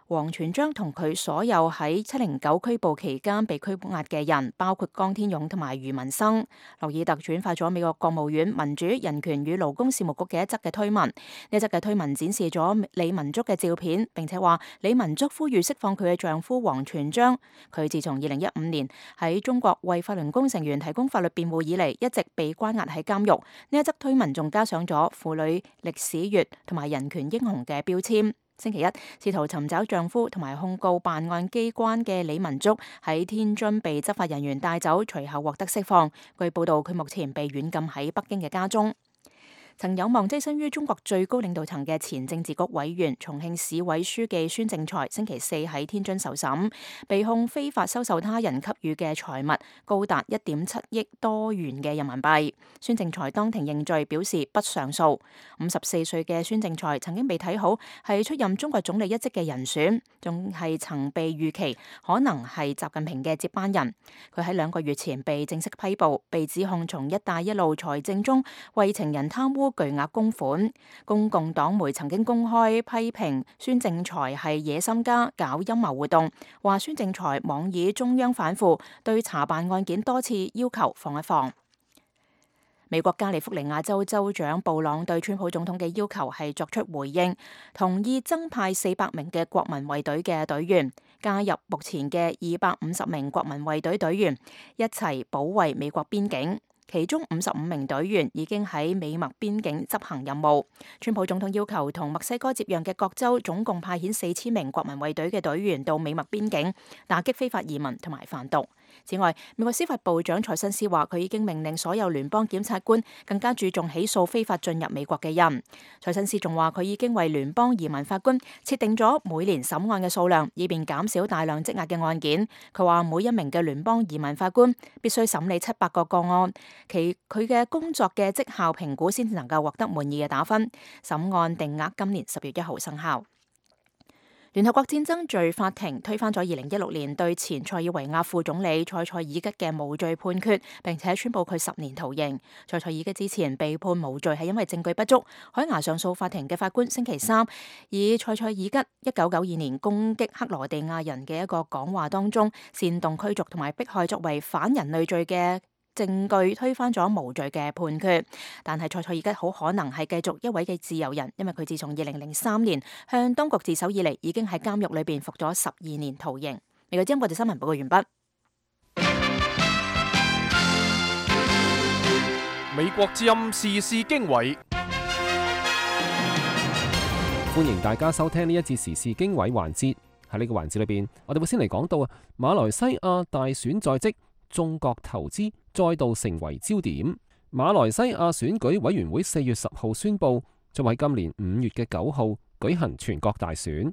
Speaker 4: 王全璋同佢所有喺709拘捕期間被拘押嘅人，包括江天勇同埋余文生。洛爾特轉發咗美國國務院民主、人權與勞工事務局嘅一則嘅推文，呢一則嘅推文展示咗李文足嘅照片，並且話李文足呼籲釋放佢嘅丈夫王全璋。佢自從2015年喺中國為法輪功成員提供法律辯護以嚟，一直被關押喺監獄。呢一則推文仲加上咗婦女歷史月同埋人權英雄嘅標籤。星期一，試圖尋找丈夫同埋控告辦案機關嘅李文足喺天津被執法人員帶走，隨後獲得釋放。據報道，佢目前被軟禁喺北京嘅家中。曾有望躋身於中國最高領導層嘅前政治局委員、重慶市委書記孫政才星期四喺天津受審，被控非法收受他人給予嘅財物高達1.7億多元嘅人民幣。孫政才當庭認罪，表示不上訴。54歲嘅孫政才曾經被睇好係出任中國總理一職嘅人選，仲係曾被預期可能係習近平嘅接班人。佢喺2個月前被正式批捕，被指控從一帶一路財政中為情人貪污巨額公款。公共黨媒曾經公開批評孫政才係野心家，搞陰謀活動，話孫政才妄議中央反腐，對查辦案件多次要求放一放。美國加利福尼亞州州長布朗對川普總統嘅要求係作出回應，同意增派400名嘅國民衛隊嘅隊員，加入目前嘅250名國民衛隊隊員，一齊保衛美國邊境。其中55名隊員已經喺美墨邊境執行任務。川普總統要求同墨西哥接壤嘅各州總共派遣4000名國民衛隊嘅隊員到美墨邊境，打擊非法移民同埋販毒。此外，美國司法部長蔡新斯話，佢已經命令所有聯邦檢察官更加注重起訴非法進入美國嘅人。蔡新斯仲話，佢已經為聯邦移民法官設定咗每年審案嘅數量，以便減少大量積壓嘅案件。佢話，每一名嘅聯邦移民法官必須審理700個個案，佢嘅工作嘅績效評估先至能夠獲得滿意嘅打分。審案定額今年10月1號生效。聯合國戰爭罪法庭推翻咗2016年對前塞爾維亞副總理塞塞爾吉嘅無罪判決，並且宣布佢10年徒刑。塞塞爾吉之前被判無罪係因為證據不足。海牙上訴法庭嘅法官星期三以塞塞爾吉1992年攻擊克羅地亞人嘅一個講話當中煽動驅逐同埋迫害作為反人類罪嘅證據，推翻咗無罪嘅判決。但係塞塞爾吉好可能係繼續一位嘅自由人，因為佢自從2003年向當局自首以嚟，已經喺監獄裏邊服咗12年徒刑。美國之音國際新聞報告完畢。
Speaker 1: 美國之音時事經緯，
Speaker 2: 歡迎大家收聽呢一節時事經緯環節。喺呢個環節裏邊，我哋會先嚟講到馬來西亞大選在即，中國投資再度成為焦點。馬來西亞選舉委員會4月10號宣布，將喺今年5月嘅9號舉行全國大選。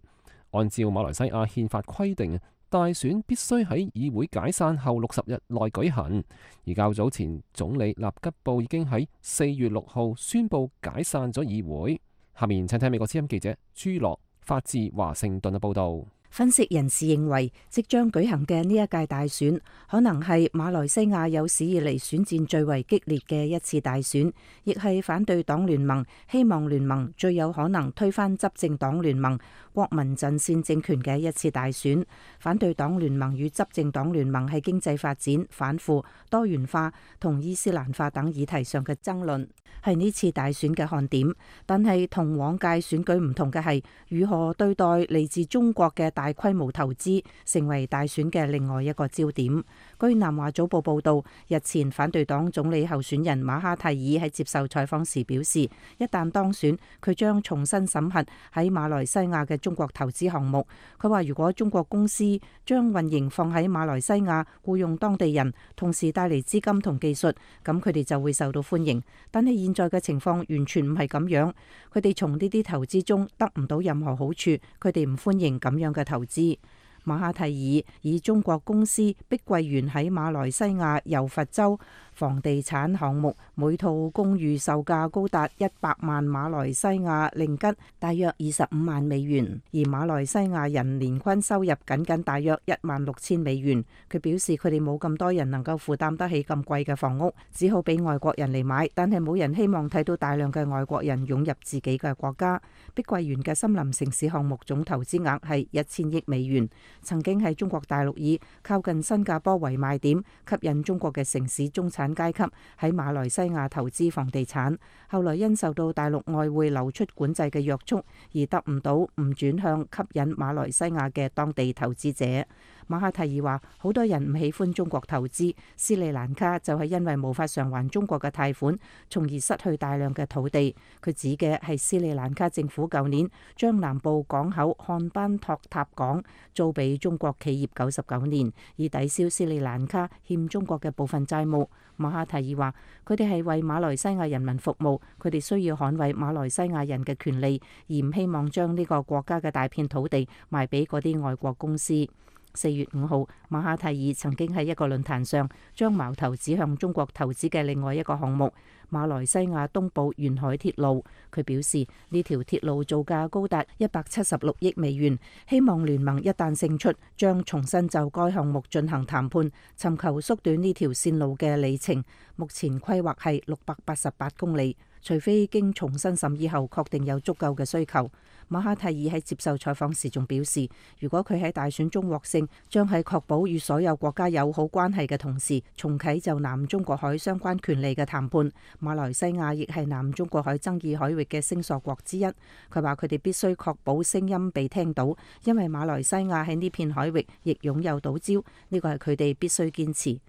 Speaker 2: 按照馬來西亞憲法規定，大選必須喺議會解散後60日內舉行。而較早前，總理納吉布已經喺4月6號宣布解散咗議會。下面請聽美國之音記者朱樂發自華盛頓嘅報道。
Speaker 12: 分析人士認為，即將舉行嘅呢一屆大選，可能係馬來西亞有史以嚟選戰最為激烈嘅一次大選，亦係反對黨聯盟、希望聯盟最有可能推翻執政黨聯盟、國民陣線政權嘅一次大選。反對黨聯盟與執政黨聯盟喺經濟發展、反腐、多元化同伊斯蘭化等議題上嘅爭論，係呢次大選嘅看點。但係同往屆選舉唔同嘅係，如何對待嚟自中國嘅大規模投資，成為大選嘅另外一個焦點。據南華早報報道，日前反對黨總理候選人馬哈蒂爾喺接受採訪時表示，一旦當選，佢將重新審核喺馬來西亞嘅中國投資項目。佢話如果中國公司將運營放喺馬來西亞，僱用當地人，同時帶嚟資金同技術，咁佢哋就會受到歡迎。但係現在嘅情況完全唔係咁樣，佢哋從呢啲投資中得唔到任何好處，佢哋唔歡迎咁樣嘅投資。馬哈蒂爾以中國公司碧桂園喺馬來西亞柔佛州房地產項目每套公寓售價高達100萬馬來西亞令吉，大約25萬美元，而馬來西亞人年均收入僅大約16000美元。佢表示佢哋冇咁多人能夠負擔得起咁貴嘅房屋，只好俾外國人嚟買，但係冇人希望睇到大量嘅外國人湧入自己嘅國家。碧桂園嘅森林城市項目總投資額係1000億美元，曾經喺中國大陸以靠近新加坡為賣點，吸引中國嘅城市中產階級喺馬來西亞投資房地產，後來因受到大陸外匯流出管制嘅約束，而得唔到唔轉向吸引馬來西亞嘅當地投資者。馬哈蒂爾話，好多人唔喜歡中國投資，斯里蘭卡就係因為無法償還中國嘅貸款，從而失去大量嘅土地。佢指嘅係斯里蘭卡政府舊年將南部港口漢班托塔港租俾中國企業99年，以抵消斯里蘭卡欠中國嘅部分債務。馬哈蒂爾話，佢哋係為馬來西亞人民服務，佢哋需要捍衛馬來西亞人嘅權利，而唔希望將呢個國家嘅大片土地賣俾嗰啲外國公司。4月5號，馬哈蒂爾曾經喺一個論壇上將矛頭指向中國投資嘅另外一個項目——馬來西亞東部沿海鐵路。佢表示呢條鐵路造價高達176億美元，希望聯盟一旦勝出，將重新就該項目進行談判，尋求縮短呢條線路嘅里程。目前規劃係688公里，除非經重新審議後確定有足夠嘅需求。馬哈蒂爾喺接受採訪時仲表示，如果佢喺大選中獲勝，將喺確保與所有國家友好關係嘅同時，重啟就南中國海相關權利嘅談判。馬來西亞亦係南中國海爭議海域嘅聲索國之一。佢話佢哋必須確保聲音被聽到，因為馬來西亞喺呢片海域亦擁有島礁，呢個係佢哋必須堅持。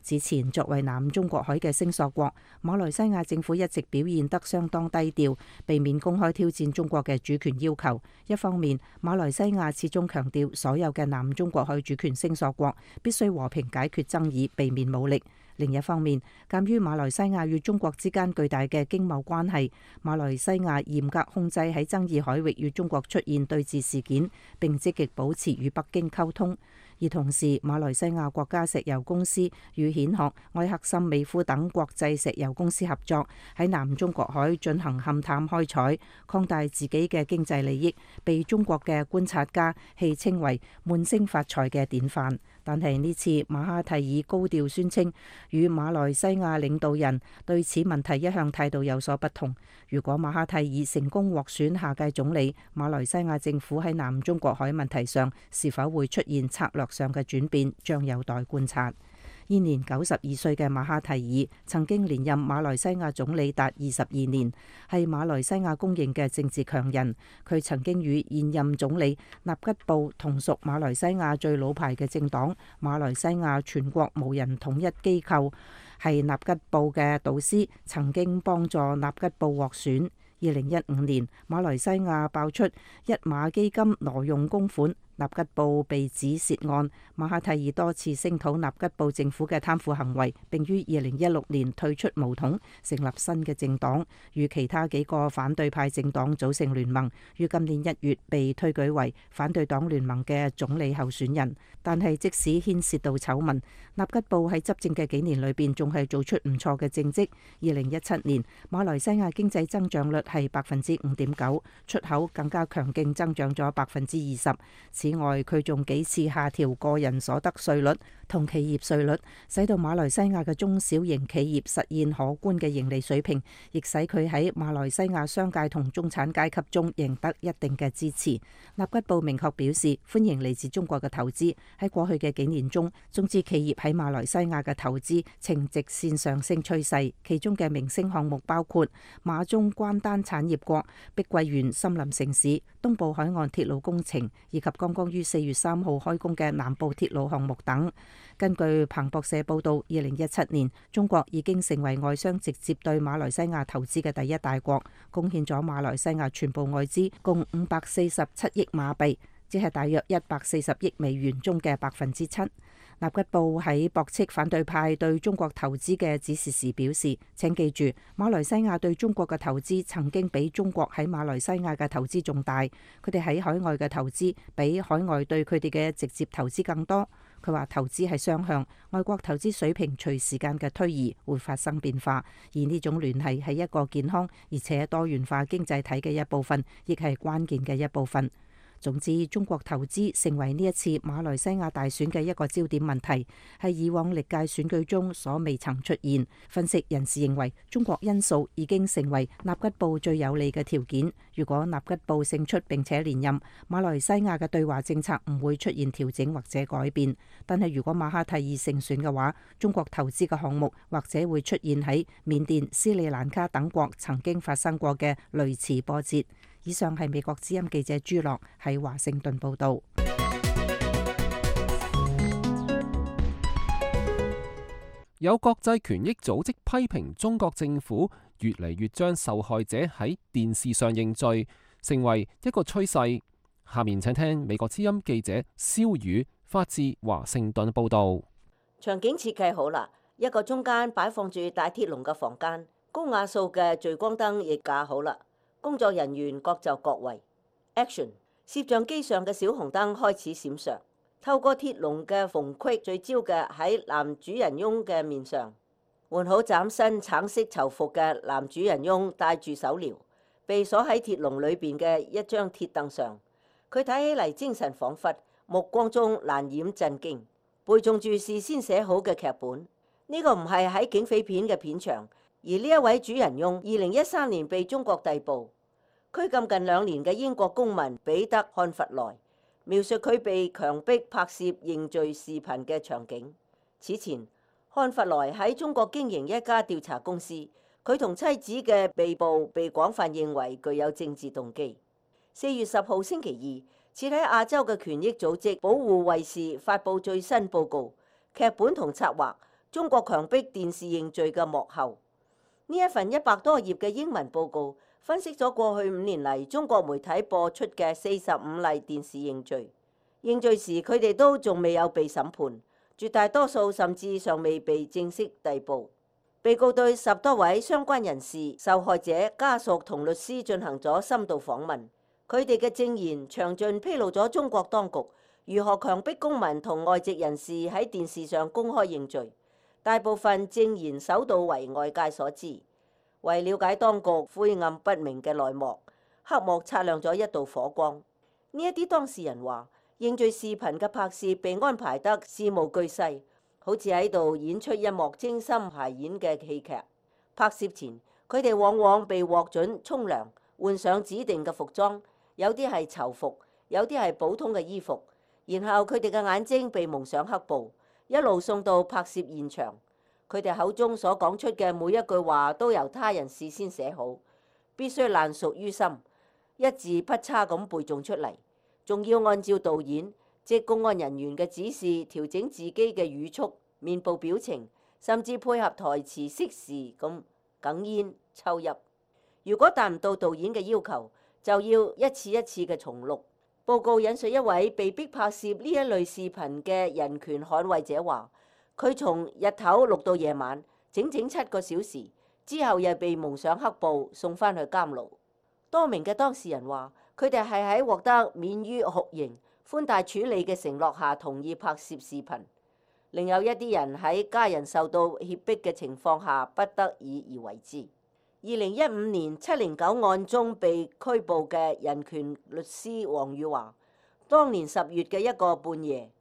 Speaker 12: 此前作為南中國海嘅聲索國，馬來西亞政府一直表現得相當低調，避免公開挑戰中國嘅主權要求。一方面，馬來西亞始終強調所有嘅南中國海主權聲索國必須和平解決爭議，避免武力。另一方面，鑑於馬來西亞與中國之間巨大嘅經貿關係，馬來西亞嚴格控制喺爭議海域與中國出現對峙事件，並積極保持與北京溝通。而同時，馬來西亞國家石油公司與蜆殼、愛克森美孚等國際石油公司合作，喺南中國海進行勘探開採，擴大自己嘅經濟利益，被中國嘅觀察家戲稱為悶聲發財嘅典範。但係呢次馬哈蒂爾高調宣稱，與馬來西亞領導人對此問題一向態度有所不同。如果馬哈蒂爾成功獲選下屆總理，馬來西亞政府喺南中國海問題上是否會出現策略上嘅轉變，將有待觀察。現年92歲嘅馬哈蒂爾曾經連任馬來西亞總理達22年，係馬來西亞公認嘅政治強人。佢曾經與現任總理納吉布同屬馬來西亞最老牌嘅政黨馬來西亞全國無人統一機構，係納吉布嘅導師，曾經幫助納吉布獲選。2015年，馬來西亞爆出一馬基金挪用公款，納吉布被指涉案。馬哈蒂爾多次聲討納吉布政府嘅貪腐行為，並於2016年退出巫統，成立新嘅政黨，與其他幾個反對派政黨組成聯盟，於今年1月被推舉為反對黨聯盟嘅總理候選人。但係即使牽涉到醜聞，納吉布喺執政嘅幾年裏邊仲係做出唔錯嘅政績。2017年，馬來西亞經濟增長率係5.9%，出口更加強勁增長咗20%。此外，佢仲幾次下調個人所得稅率同企業稅率，使到馬來西亞嘅中小型企業實現可觀嘅盈利水平，亦使佢喺馬來西亞商界同中產階級中贏得一定嘅支持。納吉布明確表示歡迎嚟自中國嘅投資。喺過去嘅幾年中，中資企業喺馬來西亞嘅投資呈直線上升趨勢，其中嘅明星項目包括馬中關丹產業國、碧桂園森林城市、東部海岸鐵路工程，以及剛剛於4月3號開工嘅南部鐵路項目等。根據彭博社報道，2017年中國已經成為外商直接對馬來西亞投資嘅第一大國，貢獻咗馬來西亞全部外資共547億馬幣，即係大約140億美元中嘅7%。納吉布喺駁斥反對派對中國投資嘅指示時表示，請記住，馬來西亞對中國嘅投資曾經比中國喺馬來西亞嘅投資仲大，佢哋喺海外嘅投資比海外對佢哋嘅直接投資更多。佢話投資係雙向，外國投資水平隨時間嘅推移會發生變化，而呢種聯繫係一個健康而且多元化經濟體嘅一部分，亦係關鍵嘅一部分。總之，中國投資成為呢一次馬來西亞大選嘅一個焦點問題，係以往歷屆選舉中所未曾出現。分析人士認為，中國因素已經成為納吉布最有利嘅條件。如果納吉布勝出並且連任，馬來西亞嘅對華政策唔會出現調整或者改變。但係如果馬哈蒂爾勝選嘅話，中國投資嘅項目或者會出現喺緬甸、斯里蘭卡等國曾經發生過嘅類似波折。以上係美國之音記者朱樂喺華盛頓報導。
Speaker 2: 有國際權益組織批評中國政府越嚟越將受害者喺電視上認罪，成為一個趨勢。下面請聽美國之音記者蕭宇發自華盛頓報導。
Speaker 7: 場景設計好啦，一個中間擺放住大鐵籠嘅房間，高瓦數嘅聚光燈亦架好啦。工作人員各就各位。Action！ 攝像機上嘅小紅燈開始閃爍，透過鐵籠嘅縫隙聚焦嘅喺男主人翁嘅面上。換好嶄新橙色囚服嘅男主人翁戴住手鐐，被鎖喺鐵籠裏邊嘅一張鐵凳上。佢睇起嚟精神恍惚，目光中難掩震驚，背誦住事先寫好嘅劇本。呢個唔係喺警匪片嘅片場。而呢一位主人翁2013年被中國逮捕，拘禁近2年嘅英國公民彼得漢弗萊，描述佢被強迫拍攝認罪視頻嘅場景。此前，漢弗萊喺中國經營一家調查公司，佢同妻子嘅被捕被廣泛認為具有政治動機。4月10號星期二，設喺亞洲嘅權益組織保護衛士發布最新報告，劇本同策劃中國強迫電視認罪嘅幕後。呢一份100多頁嘅英文報告分析咗過去5年嚟中國媒體播出嘅45例電視認罪。認罪時佢哋都仲未有被審判，絕大多數甚至尚未被正式逮捕。被告對10多位相關人士、受害者家屬同律師進行咗深度訪問，佢哋嘅證言詳盡披露咗中國當局如何強迫公民同外籍人士喺電視上公開認罪。大部分證言首度為外界所知。為了解當局晦暗不明嘅內幕，黑幕擦亮咗一道火光。呢一啲當事人話，認罪視頻嘅拍攝被安排得事無巨細，好似喺度演出一幕精心排演嘅戲劇。拍攝前，佢哋往往被獲准沖涼，換上指定嘅服裝，有啲係囚服，有啲係普通嘅衣服。然後佢哋嘅眼睛被蒙上黑布，一路送到拍攝現場。佢哋口中所講出嘅每一句話都由他人事先寫好，必須爛熟於心，一字不差咁背誦出嚟，仲要按照導演即公安人員嘅指示調整自己嘅語速、面部表情，甚至配合台詞適時咁哽咽抽泣。如果達唔到導演嘅要求，就要一次一次嘅重錄。報告引述一位被逼拍攝呢一類視頻嘅人權捍衛者話，佢從日頭錄到夜晚，整整7個小時，之後又被蒙上黑布送返去監牢。多名嘅當事人話，佢哋係喺獲得免於酷刑、寬大處理嘅承諾下同意拍攝視頻。另有一啲人喺家人受到脅迫嘅情況下不得已而為之。2015年709案中被拘捕嘅人權律師黃宇華，當年10月嘅一個半夜，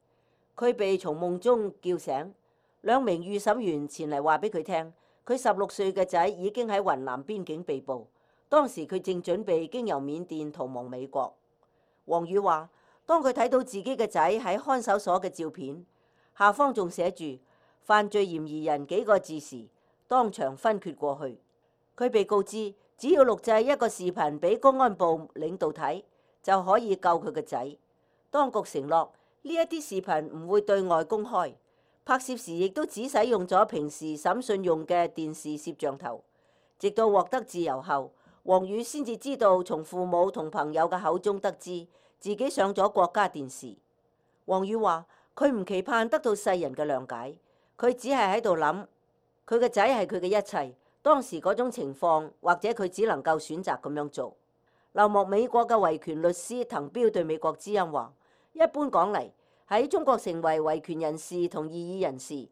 Speaker 7: 佢被從夢中叫醒。2名預審員前嚟話俾佢聽，佢16歲嘅仔已經喺雲南邊境被捕，當時佢正準備經由緬甸逃亡美國。黃宇話，當佢睇到自己嘅仔喺看守所嘅照片，下方仲寫住犯罪嫌疑人幾個字時，當場昏厥過去。佢被告知，只要錄製一個視頻俾公安部領導睇，就可以救佢嘅仔。當局承諾呢一啲視頻唔會對外公開。拍攝時亦都只使用咗平時審訊用嘅電視攝像頭。直到獲得自由後，黃宇先至知道從父母同朋友嘅口中得知自己上咗國家電視。黃宇話：佢唔期盼得到世人嘅諒解，佢只係喺度諗，佢嘅仔係佢嘅一切。當時嗰種情況，或者佢只能夠選擇咁樣做。流亡美國嘅維權律師滕彪對美國之音話：一般講嚟，喺中國成為維權人士同異議人士，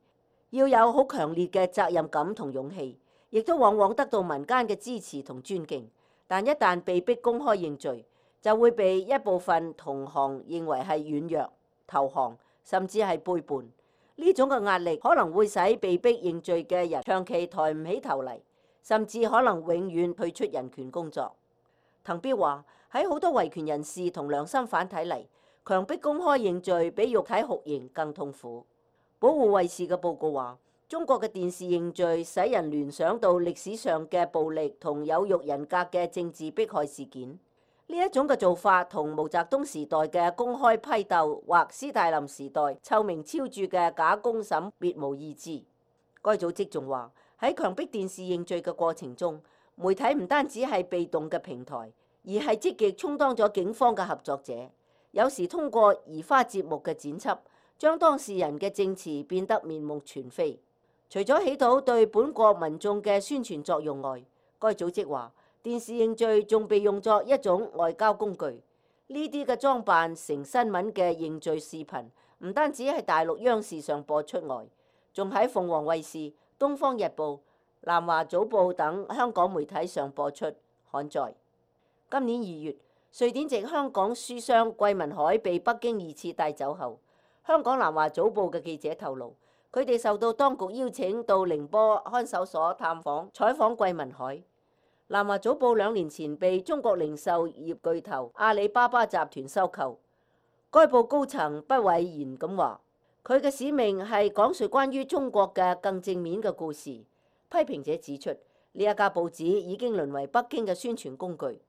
Speaker 7: 要有好強烈嘅責任感同勇氣，亦都往往得到民間嘅支持同尊敬。但一旦被逼公開認罪，就會被一部分同行認為係軟弱、投降，甚至係背叛。呢種嘅壓力可能會使被逼認罪嘅人長期抬唔起頭嚟，甚至可能永遠退出人權工作。滕彪話：喺好多維權人士同良心犯睇嚟，強迫公開認罪比肉體酷刑更痛苦。保護衛士嘅報告話，中國嘅電視認罪使人聯想到歷史上嘅暴力同有辱人格嘅政治迫害事件。呢一種嘅做法同毛澤東時代嘅公開批鬥或斯大林時代臭名昭著嘅假公審別無二致。該組織仲話，喺強迫電視認罪嘅過程中，媒體唔單止係被動嘅平台，而係積極充當咗警方嘅合作者。有時通過移花接木嘅剪輯，將當事人嘅證詞變得面目全非。除咗起到對本國民眾嘅宣傳作用外，該組織話，電視認罪仲被用作一種外交工具。呢啲嘅裝扮成新聞嘅認罪視頻，唔單止喺大陸央視上播出外，仲喺鳳凰衛視、東方日報、南華早報等香港媒體上播出刊載。今年2月，瑞典籍香港書商桂民海被北京2次帶走後，香港南華早報嘅記者透露，佢哋受到當局邀請到寧波看守所探訪採訪桂民海。南華早報2年前被中國零售業巨頭阿里巴巴集團收購。該報高層不諱言咁話，佢嘅使命係講述關於中國嘅更正面嘅故事。批評者指出，呢一家報紙已經淪為北京嘅宣傳工具。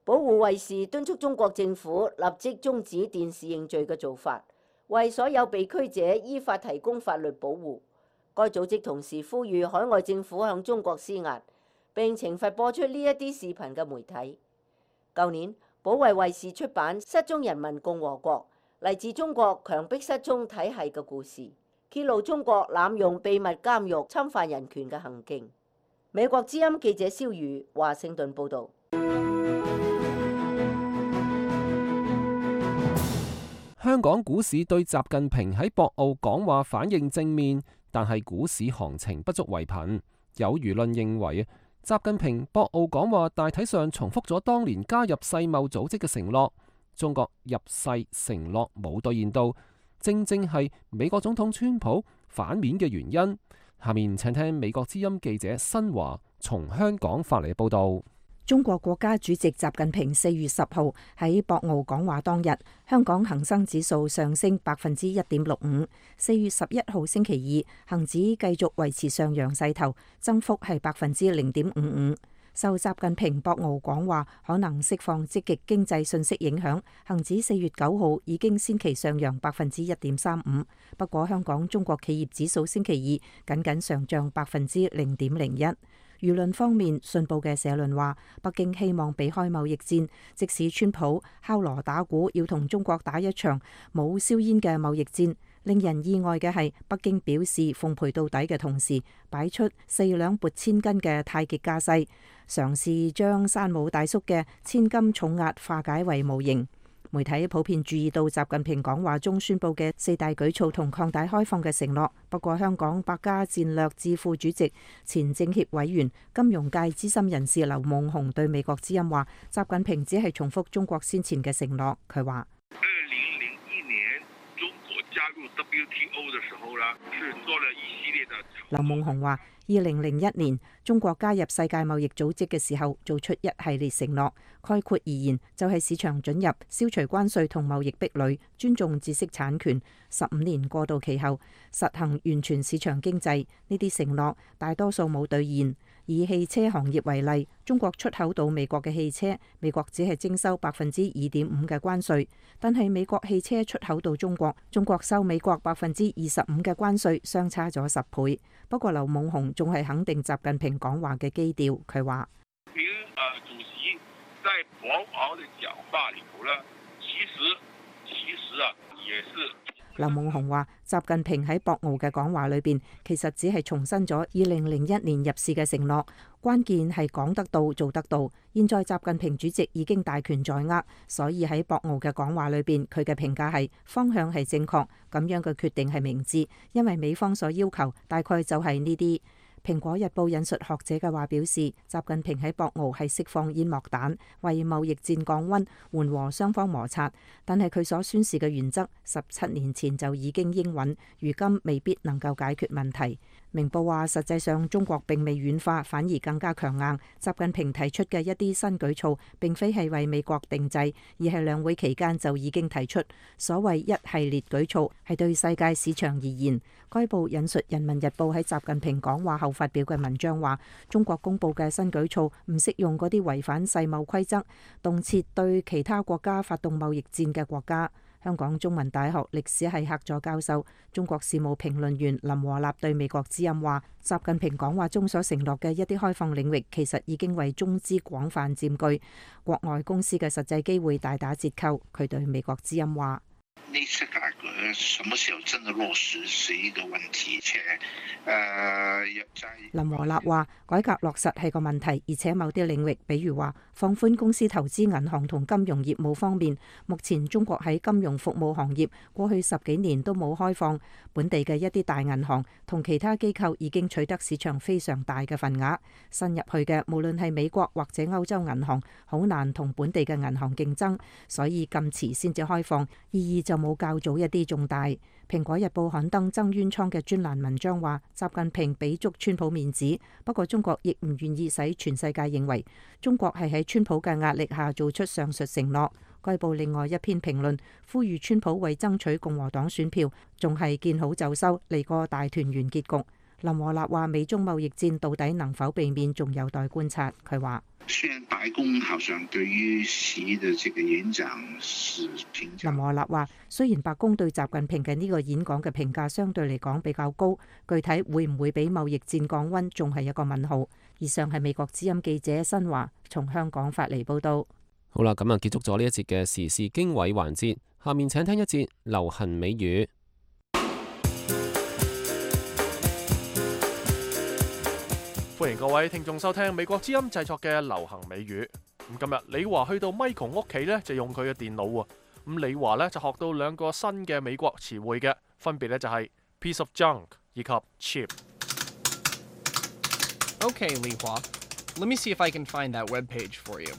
Speaker 7: 保護衛士敦促中國政府立即終止電視認罪嘅做法，為所有被拘者依法提供法律保護。該組織同時呼籲海外政府向中國施壓，並懲罰播出呢一啲視頻嘅媒體。舊年，保衛衛視出版《失蹤人民共和國》，嚟自中國強迫失蹤體系嘅故事，揭露中國濫用秘密監獄侵犯人權嘅行徑。美國之音記者蕭宇華盛頓報導。
Speaker 2: 香港股市對習近平喺博鰲講話反應正面，但係股市行情不足為憑。有輿論認為，習近平博鰲講話大體上重複咗當年加入世貿組織嘅承諾，中國入世承諾冇兌現到，正正係美國總統川普反面嘅原因。下面請聽美國之音記者新華從香港發嚟報道。
Speaker 12: 中國國家主席習近平4月10號喺博鰲講話當日，香港恒生指數上升1.65%。4月11號星期二，恒指繼續維持上揚勢頭，增幅係0.55%。受習近平博鰲講話可能釋放積極經濟信息影響，恒指4月9號已經先期上揚1.35%。不過香港中國企業指數星期二僅僅上漲0.01%。輿論方面，信報嘅社論話，北京希望避開貿易戰，即使川普敲鑼打鼓要同中國打一場冇硝煙嘅貿易戰。令人意外嘅係，北京表示奉陪到底嘅同時，擺出4兩撥千斤嘅太極架勢，嘗試將山姆大叔嘅千斤重壓化解為無形。媒體普遍注意到習近平講話中宣佈嘅4大舉措同擴大開放嘅承諾。不過，香港百家戰略智庫主席、前政協委員、金融界資深人士劉夢熊對美國之音話：習近平只係重複中國先前嘅承諾。佢話
Speaker 13: ：2001年中國加入 WTO 嘅時候呢，是做了一系列的。
Speaker 12: 劉夢熊話：2001年中國加入世界貿易組織嘅時候，做出一系列承諾。概括而言，就係市場准入、消除關稅同貿易壁壘、尊重知識產權。15年過渡期後，實行完全市場經濟。呢啲承諾大多數冇兌現。以汽車行業為例，中國出口到美國嘅汽車，美國只係徵收2.5%嘅關稅，但係美國汽車出口到中國，中國收美國25%嘅關稅，相差咗10倍。不過劉夢熊仲係肯定習近平講話嘅基調，佢話：
Speaker 13: 主席在博鰲嘅講話裏頭呢，其實也是。
Speaker 12: 劉夢熊話：習近平喺博鰲嘅講話裏邊，其實只係重申咗2001年入市嘅承諾，關鍵係講得到做得到。現在習近平主席已經大權在握，所以喺博鰲嘅講話裏邊，佢嘅評價係方向係正確，咁樣嘅決定係明智，因為美方所要求大概就係呢啲。《蘋果日報》引述學者嘅話表示，習近平喺博鰲係釋放煙幕彈，為貿易戰降溫，緩和雙方摩擦。但係佢所宣示嘅原則，17年前就已經應允，如今未必能夠解決問題。明報話，實際上中國並未軟化，反而更加強硬。習近平提出嘅一啲新舉措，並非係為美國定制，而係兩會期間就已經提出。所謂一系列舉措，係對世界市場而言。該報引述《人民日報》喺習近平講話後發表嘅文章話，中國公佈嘅新舉措唔適用嗰啲違反世貿規則、動輒對其他國家發動貿易戰嘅國家。香港中文大學歷史系客座教授、中國事務評論員林和立對美國之音話：習近平講話中所承諾嘅一啲開放領域，其實已經為中資廣泛佔據，國外公司嘅實際機會大打折扣。佢對美國之音話：
Speaker 14: 呢次改革什麼時候真的落實是一個問題，
Speaker 12: 林和立話：改革落實係個問題，而且某啲領域，比如話放寬公司投資銀行同金融業務方面，目前中國喺金融服務行業過去10幾年都冇開放，本地嘅一啲大銀行同其他機構已經取得市場非常大嘅份額，新入去嘅無論係美國或者歐洲銀行，好難同本地嘅銀行競爭，所以咁遲先至開放，意義就冇較早一啲重大。蘋果日報刊登曾淵滄嘅專欄文章話，習近平俾足川普面子，不過中國亦唔願意使全世界認為中國係喺川普嘅壓力下做出上述承諾。該報另外一篇評論呼籲川普為爭取共和黨選票，仲係見好就收嚟個大團圓結局。林和立話：美中貿易戰到底能否避免，仲有待觀察。佢話：
Speaker 14: 雖然白宮好像對於習的這個演講是評價，
Speaker 12: 林和立話：雖然白宮對習近平嘅呢個演講嘅評價相對嚟講比較高，具體會唔會俾貿易戰降溫，仲係一個問號。以上係美國之音記者新華從香港發嚟報道。
Speaker 2: 好啦，咁啊結束咗呢一節嘅時事經緯環節，下面請聽一節流行美語。
Speaker 1: 歡迎各位聽眾收聽美國之音製作嘅流行美語。咁今日李華去到 Michael 屋企呢，就用佢嘅電腦喎。咁李華呢，就學到兩個新嘅美國詞彙嘅，分別呢就係 piece of junk 以及 cheap。Okay,
Speaker 15: Li Hua. Let me see if I can find that web page for you.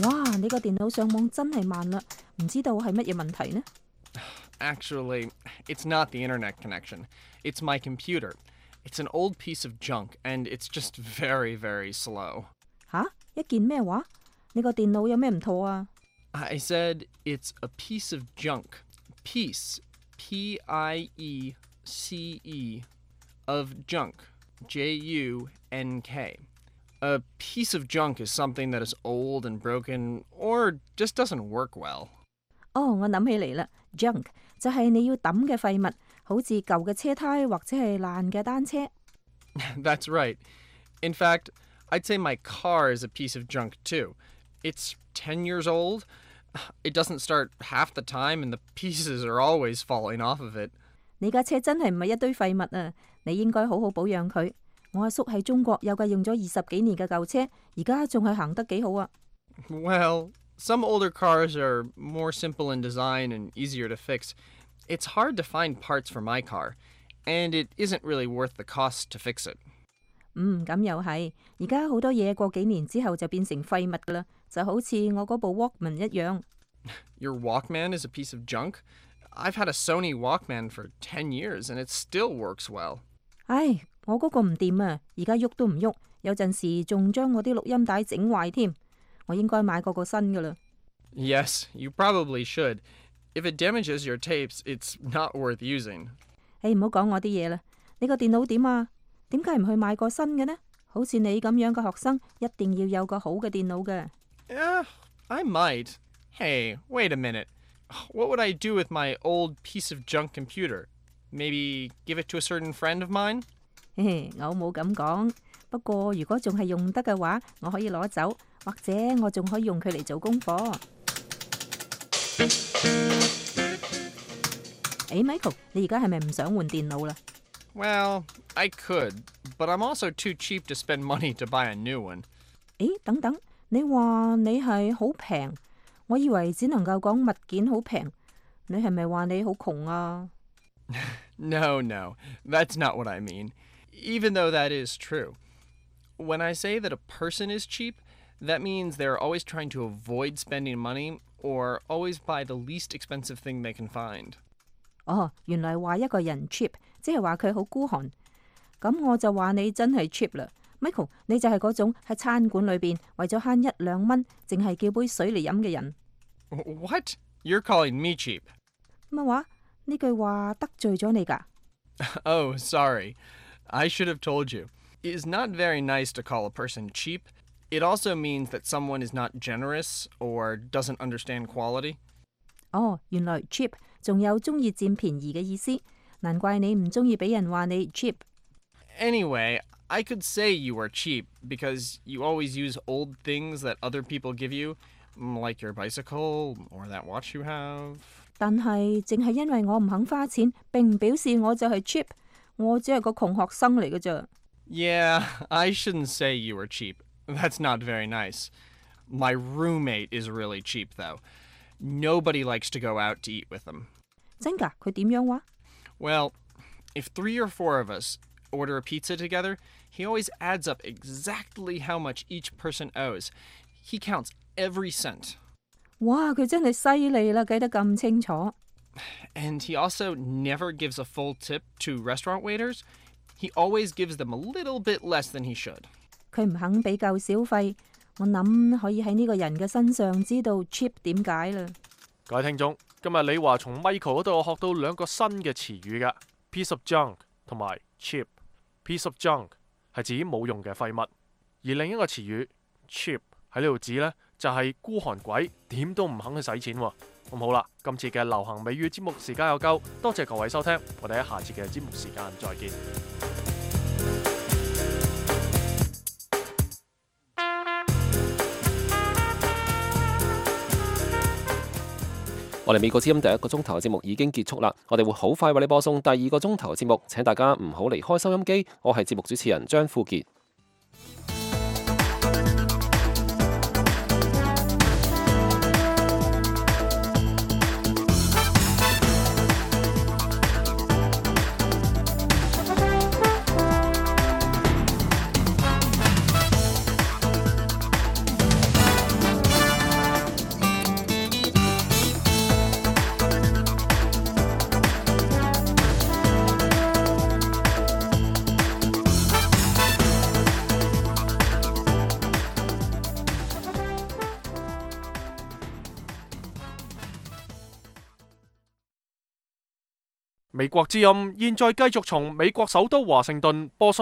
Speaker 12: 哇，你個電腦上網真係慢啦，唔知道係乜嘢問題呢？
Speaker 15: Actually, it's not the internet connection. It's my computer. It's an old piece of junk, and it's just very, very slow.
Speaker 12: 吓？一件咩話？你個電腦有咩唔妥啊？
Speaker 15: I said it's a piece of junk. Piece, P-I-E-C-E, of junk, J-U-N-K. A piece of junk is something that is old and broken, or just doesn't work well.
Speaker 12: 哦，我諗起嚟啦 ，junk 就係你要抌嘅廢物，好似舊嘅車胎或者係爛嘅單車。
Speaker 15: That's right. In fact, I'd say my car is a piece of junk too. It's 10 years old. It doesn't start half the time, and the pieces are always falling off of it.
Speaker 12: 你架車真係唔係一堆廢物啊！你應該好好保養佢。我阿叔喺中國有架用咗20幾年嘅舊車，而家仲係行得幾好啊。
Speaker 15: Well, some older cars are more simple in design and easier to fix. It's hard to find parts for my car, and it isn't really worth the cost to fix it.
Speaker 12: 咁又係。而家好多嘢過幾年之後就變成廢物噶啦，就好似我嗰部 Walkman 一樣。
Speaker 15: Your Walkman is a piece of junk? I've had a Sony Walkman for 10 years, and it still works well.
Speaker 12: 唉，我嗰個唔掂啊，而家喐都唔喐，有陣時仲將我啲錄音帶整壞添。我應該買個新噶啦。
Speaker 15: Yes, you probably should. If it damages your tapes, it's not worth using.
Speaker 12: 唔好講我啲嘢啦。你個電腦點啊？點解唔去買個新嘅呢？好似你咁樣嘅學生，一定要有個好嘅電腦嘅。
Speaker 15: I might. Hey, wait a minute. What would I do with my old piece of junk computer? Maybe give it to a certain friend of mine?
Speaker 12: 我冇咁講。不過如果仲係用得嘅話，我可以攞走，或者我仲可以用佢嚟做功課。Michael， 你而家係咪唔想換電腦啦？
Speaker 15: Well, I could, but I'm also too cheap to spend money to buy a new one.
Speaker 12: 等等，你話你係好平，我以為只能夠講物件好平，你係咪話你好窮啊？
Speaker 15: No, that's not what I mean, even though that is true. When I say that a person is cheap, that means they're always trying to avoid spending money or always buy the least expensive thing they can find.
Speaker 12: 原來話一個人 cheap， 即係話佢好孤寒。咁我就話你真係 cheap 啦。Michael， 你就係嗰種喺餐館裏邊為咗慳1-2蚊，淨係叫杯水嚟飲嘅人。
Speaker 15: What? You're calling me cheap?
Speaker 12: 乜話？呢句話得罪咗你㗎？
Speaker 15: Oh, sorry. I should have told you. It is not very nice to call a person cheap. It also means that someone is not generous or doesn't understand quality.
Speaker 12: 原來 cheap 仲有中意佔便宜嘅意思，難怪你唔中意俾人話你 cheap。
Speaker 15: Anyway, I could say you are cheap because you always use old things that other people give you, like your bicycle or that watch you have.
Speaker 12: 但係淨係因為我唔肯花錢，並唔表示我就係 cheap。我只係個窮學生嚟嘅咋。
Speaker 15: Yeah, I shouldn't say you were cheap. That's not very nice. My roommate is really cheap, though. Nobody likes to go out to eat with him.
Speaker 12: 真㗎？佢點樣話？
Speaker 15: Well, if 3 or 4 of us order a pizza together, he always adds up exactly how much each person owes. He counts every cent.
Speaker 12: 哇，佢真係犀利啦，計得咁清楚。
Speaker 15: And he also never gives a full tip to restaurant waiters. He always gives them a little bit less than he should.
Speaker 12: 佢唔肯俾夠小費，我諗可以喺呢個人嘅身上知道 cheap 點解啦。
Speaker 1: 各位聽眾，今日李華從 Michael 嗰度學到2個新嘅詞語嘅 piece of junk 同埋 cheap。piece of junk 係指冇用嘅廢物，而另一個詞語 cheap 喺呢度指呢，就係孤寒鬼，點都唔肯去使錢喎。咁好啦，今次嘅流行美語節目時間有夠，多謝各位收聽，我哋喺下次嘅節目時間再見。
Speaker 2: 我哋美國之音第一個鐘頭嘅節目已經結束啦，我哋會好快為你播送第二個鐘頭嘅節目，請大家唔好離開收音機。我係節目主持人張富傑。
Speaker 1: 美國之音現在繼續從美國首都華盛頓播送